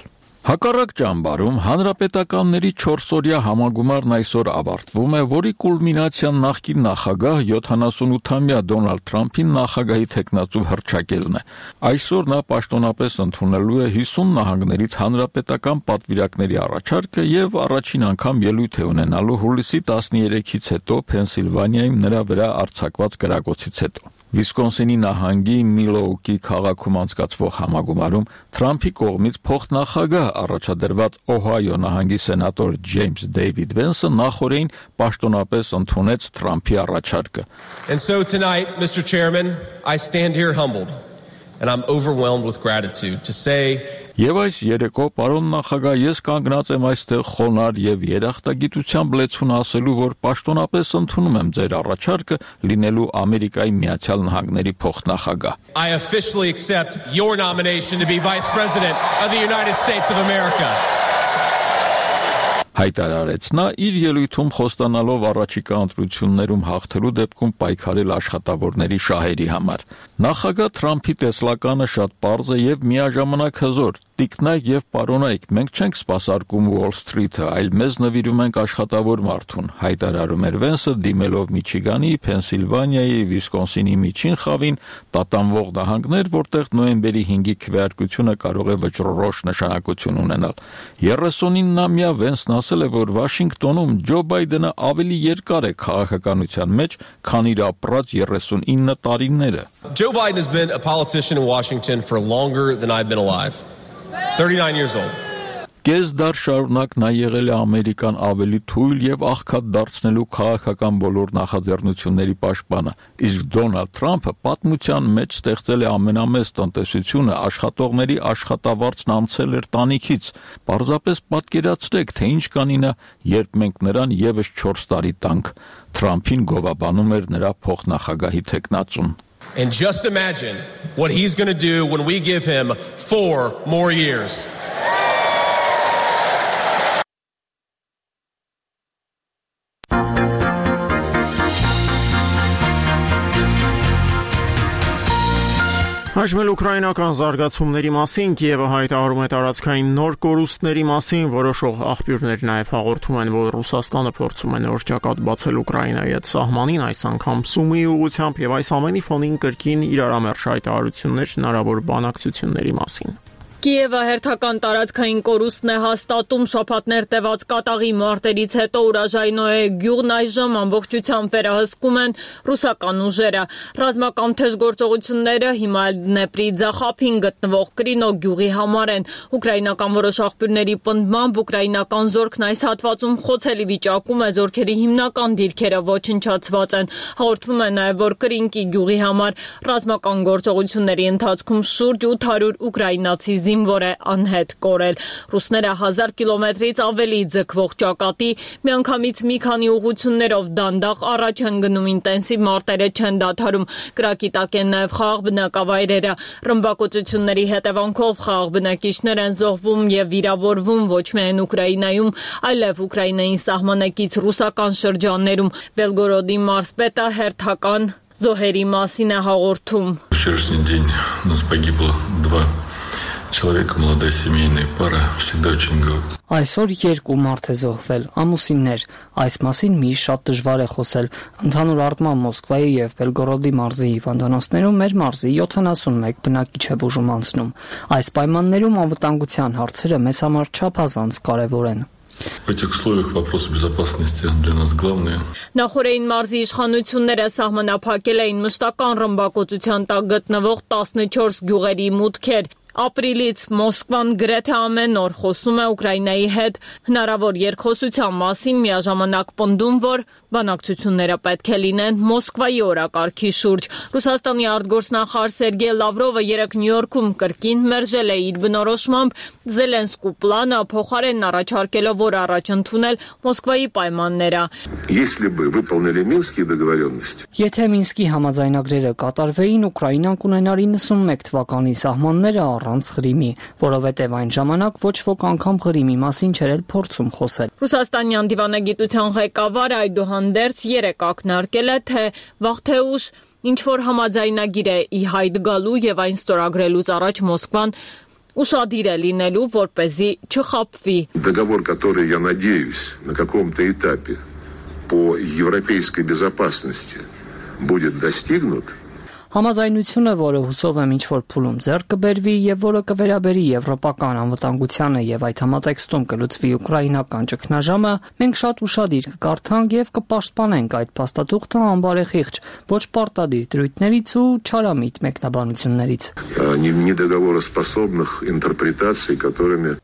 Հակառակ ճամբարում հանրապետականների չորսօրյա համագումարն այսօր ավարտվում է, որի կուլմինացիան նախկին նախագահ յոթանասունութամյա Դոնալդ Թրամփին նախագահի թեկնածու հռչակելն է։ Այսօր նա պաշտոնապես ընդունելու է հիսուն նահանգներից հանրապետական պատվիրակների առաջարկը եւ առաջին անգամ ելույթ է ունենալու հուլիսի տասներեքից հետո Փենսիլվանիայում նրա վրա արձակված կրակոցից հետո։ Վիսկոնսինի նահանգի Միլոուկի քաղաքում անցկացվող համագումարում Թրամփի կողմից փոխնախագահ առաջադրված Օհայո նահանգի սենատոր Ջեյմս Դեյվիդ Վենսը նախորդին պաշտոնապես ընդունեց Թրամփի առաջարկը։ And so tonight, Mister Chairman, I stand here humbled and I'm overwhelmed with gratitude to say Եվ այս երեկո պարոն նախագահ ես կանգնած եմ այստեղ խոնարհ եւ երախտագիտությամբ լեցուն ասելու, որ պաշտոնապես ընդունում եմ ձեր առաջարկը լինելու Ամերիկայի Միացյալ Նահանգների փոխնախագահ։ I officially accept your nomination to be Vice President of the United States of America. Հայտարարեց նա իր ելույթում խոստանալով առաջիկա ընտրություններում հաղթելու դեպքում պայքարել աշխատավորների շահերի համար։ Նախագահ Թրամփի տեսլականը շատ պարզ է եւ միաժամանակ հզոր։ Տիկնայք եւ պարոնայք, մենք չենք սպասարկում Wall Street-ը, այլ մեզ նվիրում ենք աշխատավոր մարդուն, հայտարարում էր Վենսը դիմելով Միչիգանի, Փենսիլվանիայի, Վիսկոնսինի միջին խավին, տատանվող նահանգներ, որտեղ նոյեմբերի հինգի քվեարկությունը կարող է վճռորոշ նշանակություն ունենալ։ երեսունինամյա Վենսն ասել է, որ Վաշինգտոնում Ջո Բայդենը ավելի երկար է քաղաքականության մեջ, քան իր ապրած երեսունինը տարիները։ Joe Biden has been a politician in Washington for longer than I've been alive. thirty-nine years old. Կես դար շարունակ նա եղել է Ամերիկան ավելի թույլ եւ աղքատ դարձնելու քաղաքական բոլոր նախաձեռնությունների պաշտպանը, իսկ Դոնալդ Թրամփը պատմության մեջ ստեղծել է ամենամեծ տնտեսությունը, աշխատողների աշխատավարձն անցել էր տանիքից։ Պարզապես պատկերացրեք, թե ինչ կանի նա, երբ մենք նրան եւս չորս տարի տանք։ Թրամփին գովաբանում էր նրա փոխնախագահի թեկնածուն։ And just imagine what he's going to do when we give him four more years. Հաշվել ուկրաինական զարգացումների մասին Կիևը հայտարարում է տարածքային նոր կորուստների մասին, որոշող աղբյուրներ նաև հաղորդում են, որ Ռուսաստանը փորձում է նոր ճակատ բացել Ուկրաինայի հետ սահմանին, այս անգամ Սումիի ուղղությամբ եւ այս ամենի ֆոնին կրկին իրարամերժ հայտարարություններ հնարավոր բանակցությունների մասին։ Կիևը հերթական տարածքային կորուստն է հաստատում շաբաթներ տևած կատաղի մարտերից հետո Ուրաժայնոյե գյուղն այժմ ամբողջությամբ վերահսկում են ռուսական ուժերը։ Ռազմական թեժ գործողությունները հիմա Դնեպրի ձախափին գտնվող Կրինո գյուղի համար են։ Ուկրաինական որոշ աղբյուրների պնդմամբ ուկրաինական զորքն այս հատվածում խոցելի վիճակում է, զորքերի հիմնական դիրքերը ոչնչացված են։ Հաղորդվում է նաև, որ Կրինկի գյուղի համար ռազմական գործողությունների ընթացքում շուրջ ութ հարյուր ուկրաինացի զինվոր է անհետ կորել։ Ռուսները հազար կիլոմետրից ավելի ձգվող ճակատի միանգամից մի քանի ուղղություններով դանդաղ առաջ են գնում, ինտենսիվ մարտերը չեն դադարում։ Կրակի տակ են նաև խաղաղ բնակավայրերը։ Ռմբակոծությունների հետևանքով խաղաղ բնակիչներ են զոհվում եւ վիրավորվում ոչ միայն Ուկրաինայում, այլև Ուկրաինային սահմանակից ռուսական շրջաններում։ Բելգորոդի մարզպետը հերթական զոհերի մասին է հաղորդում։ Человека, молодая семейная пара, всегда очень говорит. Այսօր երկու մարդ է զոհվել, ամուսիններ, այս մասին միշտ շատ դժվար է խոսել։ Ընդհանուր առմամբ Մոսկվայի եւ Բելգորոդի մարզի հիվանդանոցներում մեր մարզի յոթանասունմեկ բնակիչ է բուժում անցնում։ Այս պայմաններում անվտանգության հարցերը մեզ համար չափազանց կարեւոր են։ В этих условиях вопрос безопасности для нас главный. Նախորդին մարզի իշխանությունները սահմանափակել էին մշտական ռմբակոծության տակ գտնվող տասնչորս գյուղերի մուտքեր։ Ապրիլից Մոսկվան գրեթե ամեն օր խոսում է Ուկրաինայի հետ հնարավոր երկխոսության մասին, միաժամանակ պնդում, որ բանակցությունները պետք է լինեն Մոսկվայի օրակարգի շուրջ։ Ռուսաստանի արտգործնախարար Սերգեյ Լավրովը երեկ Նյու Յորքում կրկին մերժել է իր բնորոշմամբ Զելենսկու պլանը, փոխարենն առաջարկելով, որ առաջ ընդունել Մոսկվայի պայմանները։ Если бы выполнили Минские договоренности. Եթե Մինսկի համաձայնագրերը կատարվեին, Ուկրաինան կունենար իննսունմեկ թվականի սահմանները առանց Ղրիմի, որովհետև այն ժամանակ ոչ ոք անգամ Ղրիմի մասին չէր էլ փորձում խոսել։ Ռուսաստանյան դիվանագիտության ղեկավարը այդուհանդերձ երեկ ակնարկել է, թե վաղ թե ուշ ինչ-որ համաձայնագիր է ի հայտ գալու եւ այն ստորագրելուց առաջ Մոսկվան ушадир է լինելու, որպեսզի չխաբվի։ Договор, который, я надеюсь, на каком-то этапе по европейской безопасности будет достигнут. Համաձայնությունը, որը հուսով եմ ինչ-որ փուլում ձեռք կբերվի եւ որը կվերաբերի եվրոպական անվտանգությանը եւ այդ համատեքստում կլուծվի ուկրաինական ճգնաժամը, մենք շատ ուրախadir կկարդանք եւ կպաշտպանենք այդ փաստաթուղթը անբարեխիղճ, ոչ պարտադիր դրույթներից ու չարամիտ մեկնաբանություններից։ Недоговороспособных интерпретаций, которыми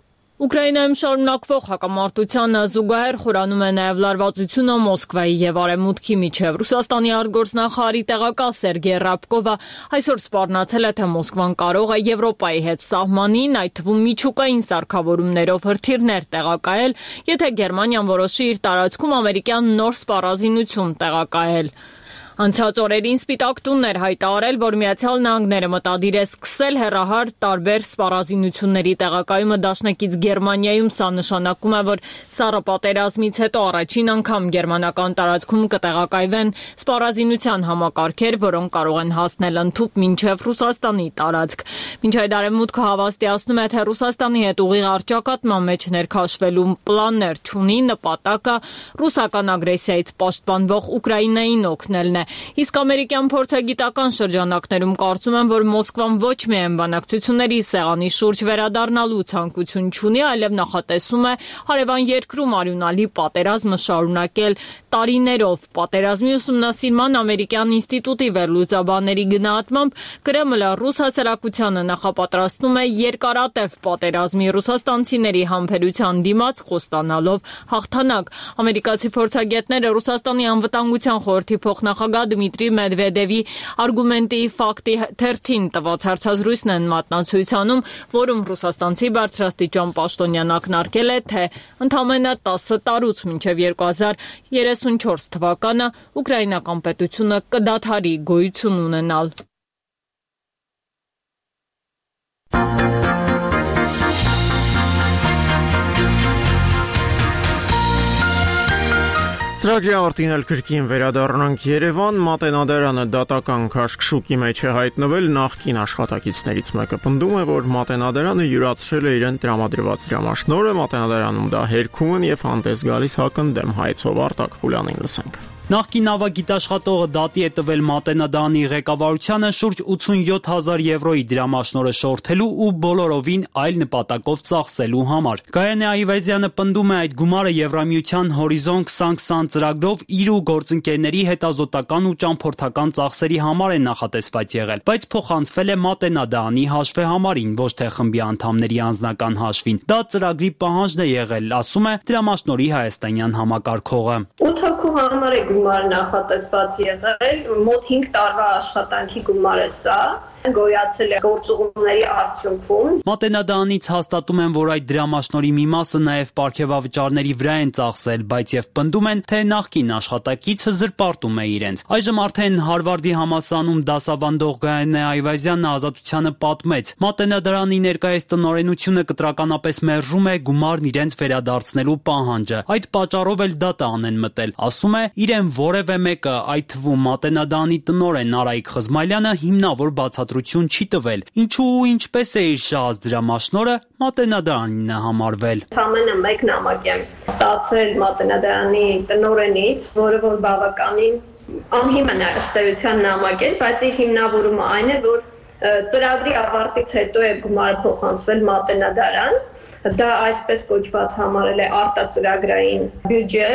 Ուկրաինայում շարունակվող հակամարտությանը զուգահեռ խորանում է նաև լարվածությունը Մոսկվայի եւ Արևմուտքի միջև։ Ռուսաստանի արտգործնախարարի տեղակալ Սերգեյ Ռաբկովը այսօր սպառնացել է, թե Մոսկվան կարող է Եվրոպայի հետ սահմանին, այդ թվում միջուկային սարքավորումներով հրթիռներ տեղակայել, եթե Գերմանիան որոշի իր տարածքում ամերիկյան նոր սպառազինություն տեղակայել։ Անցած օրերին Սպիտակ տունն էր հայտարարել, որ Միացյալ Նահանգները մտադիր է սկսել հեռահար տարբեր սպառազինությունների տեղակայումը դաշնակից Գերմանիայում։ Սա նշանակում է, որ Սառը պատերազմից հետո առաջին անգամ գերմանական տարածքում կտեղակայվեն սպառազինության համակարգեր, որոնք կարող են հասնել ընդհուպ մինչև Ռուսաստանի տարածք։ Մինչ այդ Արևմուտքը հավաստիացնում է, թե Ռուսաստանի հետ ուղիղ առճակատման մեջ ներքաշվելու պլաններ չունի, նպատակը ռուսական ագրեսիայից պաշտպանվող Ուկրաինային օգնելն է։ Իսկ ամերիկյան փորձագիտական շրջանակներում կարծում են, որ Մոսկվան ոչ միայն բանակցությունների սեղանի շուրջ վերադառնալու ցանկություն չունի, այլև նախատեսում է հարևան երկրում արյունալի պատերազմը շարունակել տարիներով։ Պատերազմի ուսումնասիրման ամերիկյան ինստիտուտի վերլուծաբանների գնահատմամբ Կրեմլը ռուս հասարակությանը նախապատրաստում է երկարատև պատերազմի, ռուսաստանցիների համբերության դիմաց խոստանալով հաղթանակ։ Ամերիկացի փորձագետները Ռուսաստանի անվտանգության խորհրդի փոխնախագահ Դմիտրի Մեդվեդևի արգումենտի ֆակտի թերթին տված հարցազրույցն են մատնացույցանում, որում ռուսաստանցի բարձրաստիճան պաշտոնյան ակնարկել է, թե ընդամենը տասը տարուց մինչև երկու հազար երեսունչորս թվականը ուկրաինական պետությունը կդադարի գոյություն ունենալ։ Ծրագրի ավարտին էլ կրկին վերադառնանք Երևան, Մատենադարանը դատական քաշքշուկի մեջ է հայտնվել, նախկին աշխատակիցներից մեկը պնդում է, որ Մատենադարանը յուրացրել է իրեն տրամադրված դրամաշնորհը, Մատենադարանում դա հերքում են եւ հանդես գալիս հակընդդեմ հայցով Արտակ Խուլյանին լսենք։ Նախկին նավագիտաշխատողը դատի է տվել Մատենադարանի ղեկավարությանը շուրջ ութսունյոթ հազար եվրոյի դրամաշնորհը շորթելու ու բոլորովին այլ նպատակով ծախսելու համար։ Գայանե Այվազյանը պնդում է այդ գումարը Եվրամիության Հորիզոն քսան քսան ծրագրով իր ու գործընկերների հետազոտական ու ճամփորդական ծախսերի համար է նախատեսված եղել, բայց փոխանցվել է Մատենադարանի հաշվեհամարին, ոչ թե խմբի անդամների անձնական հաշվին։ Դա ծրագրի պահանջն է եղել, ասում է դրամաշնորհի հայաստանյան համակարգողը։ ութ հոգու համար է գումար նախատեսված եղել, մոտ հինգ տարվա աշխատանքի գումար է սա, գոյացել է գործուղումների արդյունքում։ Մատենադարանից հաստատում են, որ այդ դրամաշնորհի մի մասը նաև պարգևավճարների վրա են ծախսել, բայց եւ պնդում են, թե նախկին աշխատակիցը զրպարտում է իրենց։ Այժմ արդեն Հարվարդի համալսարանում դասավանդող Գայանե Այվազյանն Ազատությանը պատմեց. Մատենադարանի ներկայիս տնօրենությունը կտրականապես մերժում է գումարն իրենց վերադարձնելու պահանջը։ Այդ պատճառով էլ դատան են մտել։ Ասում է, իրեն որևէ մեկը, այդ թվում Մատենադարանի տնօրեն Արայիկ Խզմալյանը հիմնավոր բացատրություն չի տվել։ Ինչու ու ինչպես է իր շահած դրամաշնորհը Մատենադարանին է համարվել։ Ամենը մեկ նամակ եմ ստացել Մատենադարանի տնօրենից, որը որ բավականին անհիմն է ըստ էության նամակ էր, բայց իր հիմնավորումը այն է, որ ծրագրի ավարտից հետո է գումարը փոխանցվել Մատենադարան, դա այսպես կոչված համարել է արտածրագրային բյուջե,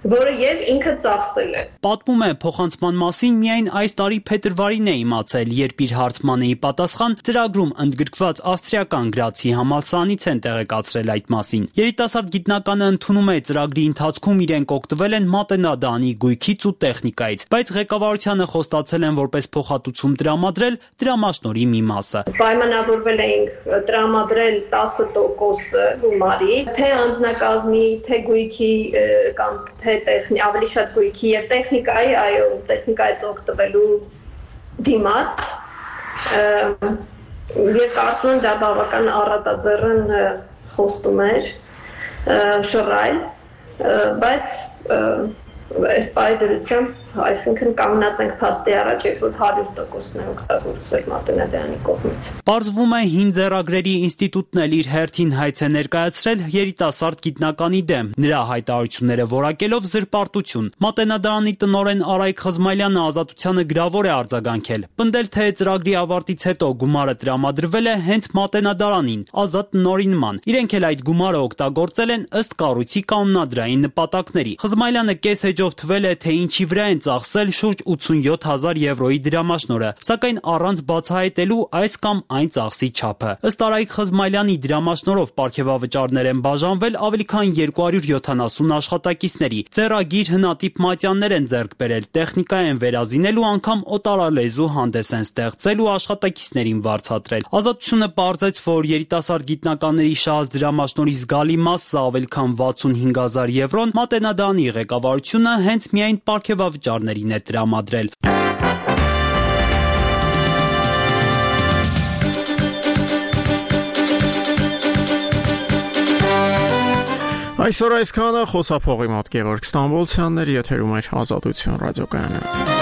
որը եւ ինքը ծախսել է։ Պատմում է, փոխանցման մասին միայն այս տարի փետրվարին է իմացել, երբ իր հարցմանեի պատասխան ծրագրում ընդգրկված ավստրիական գրացի համալսարանից են տեղեկացրել այդ մասին։ Երիտասարդ գիտնականը ընդունում է ծրագրի ընթացքում իրենք օգտվել են Մատենադարանի գույքից ու տեխնիկայից, բայց ղեկավարությանը խոստացել են որպես փոխհատուցում տրամադրել դրամաշնորհի մի մասը։ Պայմանավորվել էինք տրամադրել տասը տոկոս գումարի, թե անձնակազմի, թե գույքի կամ թե տեխնի ավելի շատ գույքի եւ տեխնիկայի, այո, տեխնիկայից օգտվելու դիմաց, Ես կարծում եմ դա բավական առատաձեռն խոստում էր շռայլ, բայց այս պայդրությամբ, այսինքն կանգնած ենք փաստի առաջ, երբ որ հարյուր տոկոսն է օգտագործվել Մատենադարանի կողմից։ Պարզվում է հին ձեռագրերի ինստիտուտն էլ իր հերթին հայց է ներկայացրել երիտասարդ գիտնականի դեմ, նրա հայտարարությունները որակելով զրպարտություն։ Մատենադարանի տնօրեն Արայք Խզմայլյանը ազատությանը գրավոր է արձագանքել, պնդել թե ծրագրի ավարտից հետո գումարը տրամադրվել է հենց Մատենադարանին, ազատ տնօրինման։ Իրենք էլ այդ գումարը օգտագործել են ըստ կառույցի կանոնադրային նպատակների։ Խզմայլյանը կես էջով թվել է, թե ինչի վրա են ծախսել շուրջ ութսունյոթ հազար եվրոյի դրամաշնորհը, սակայն առանց բացահայտելու այս կամ այն ծախսի չափը։ Ըստ Արայք Խզմայլյանի դրամաշնորհով պարգևավճարներ են բաժանվել ավելի քան երկու հարյուր յոթանասուն աշխատակիցների։ Ձեռագիր հնատիպ մատյաններ են ձեռք բերել, տեխնիկա են վերազինել ու անգամ օտարալեզու հանդես են ստեղծել ու աշխատակիցներին վարձատրել։ Ազատությունը պարզեց, որ երիտասարդ գիտնականների շահած դրամաշնորհի զգալի մասը ավելի քան վաթսունհինգ հազար եվրոն Մատենադարանի ղեկավարությունը հենց միայն պարգևավճարներին է տրամադրել։ Այսօր այսքանը, խոսափողի մոտ Գևորգ Ստամբոլցյանն էր, եթերում էր Ազատություն ռադիոկայանը։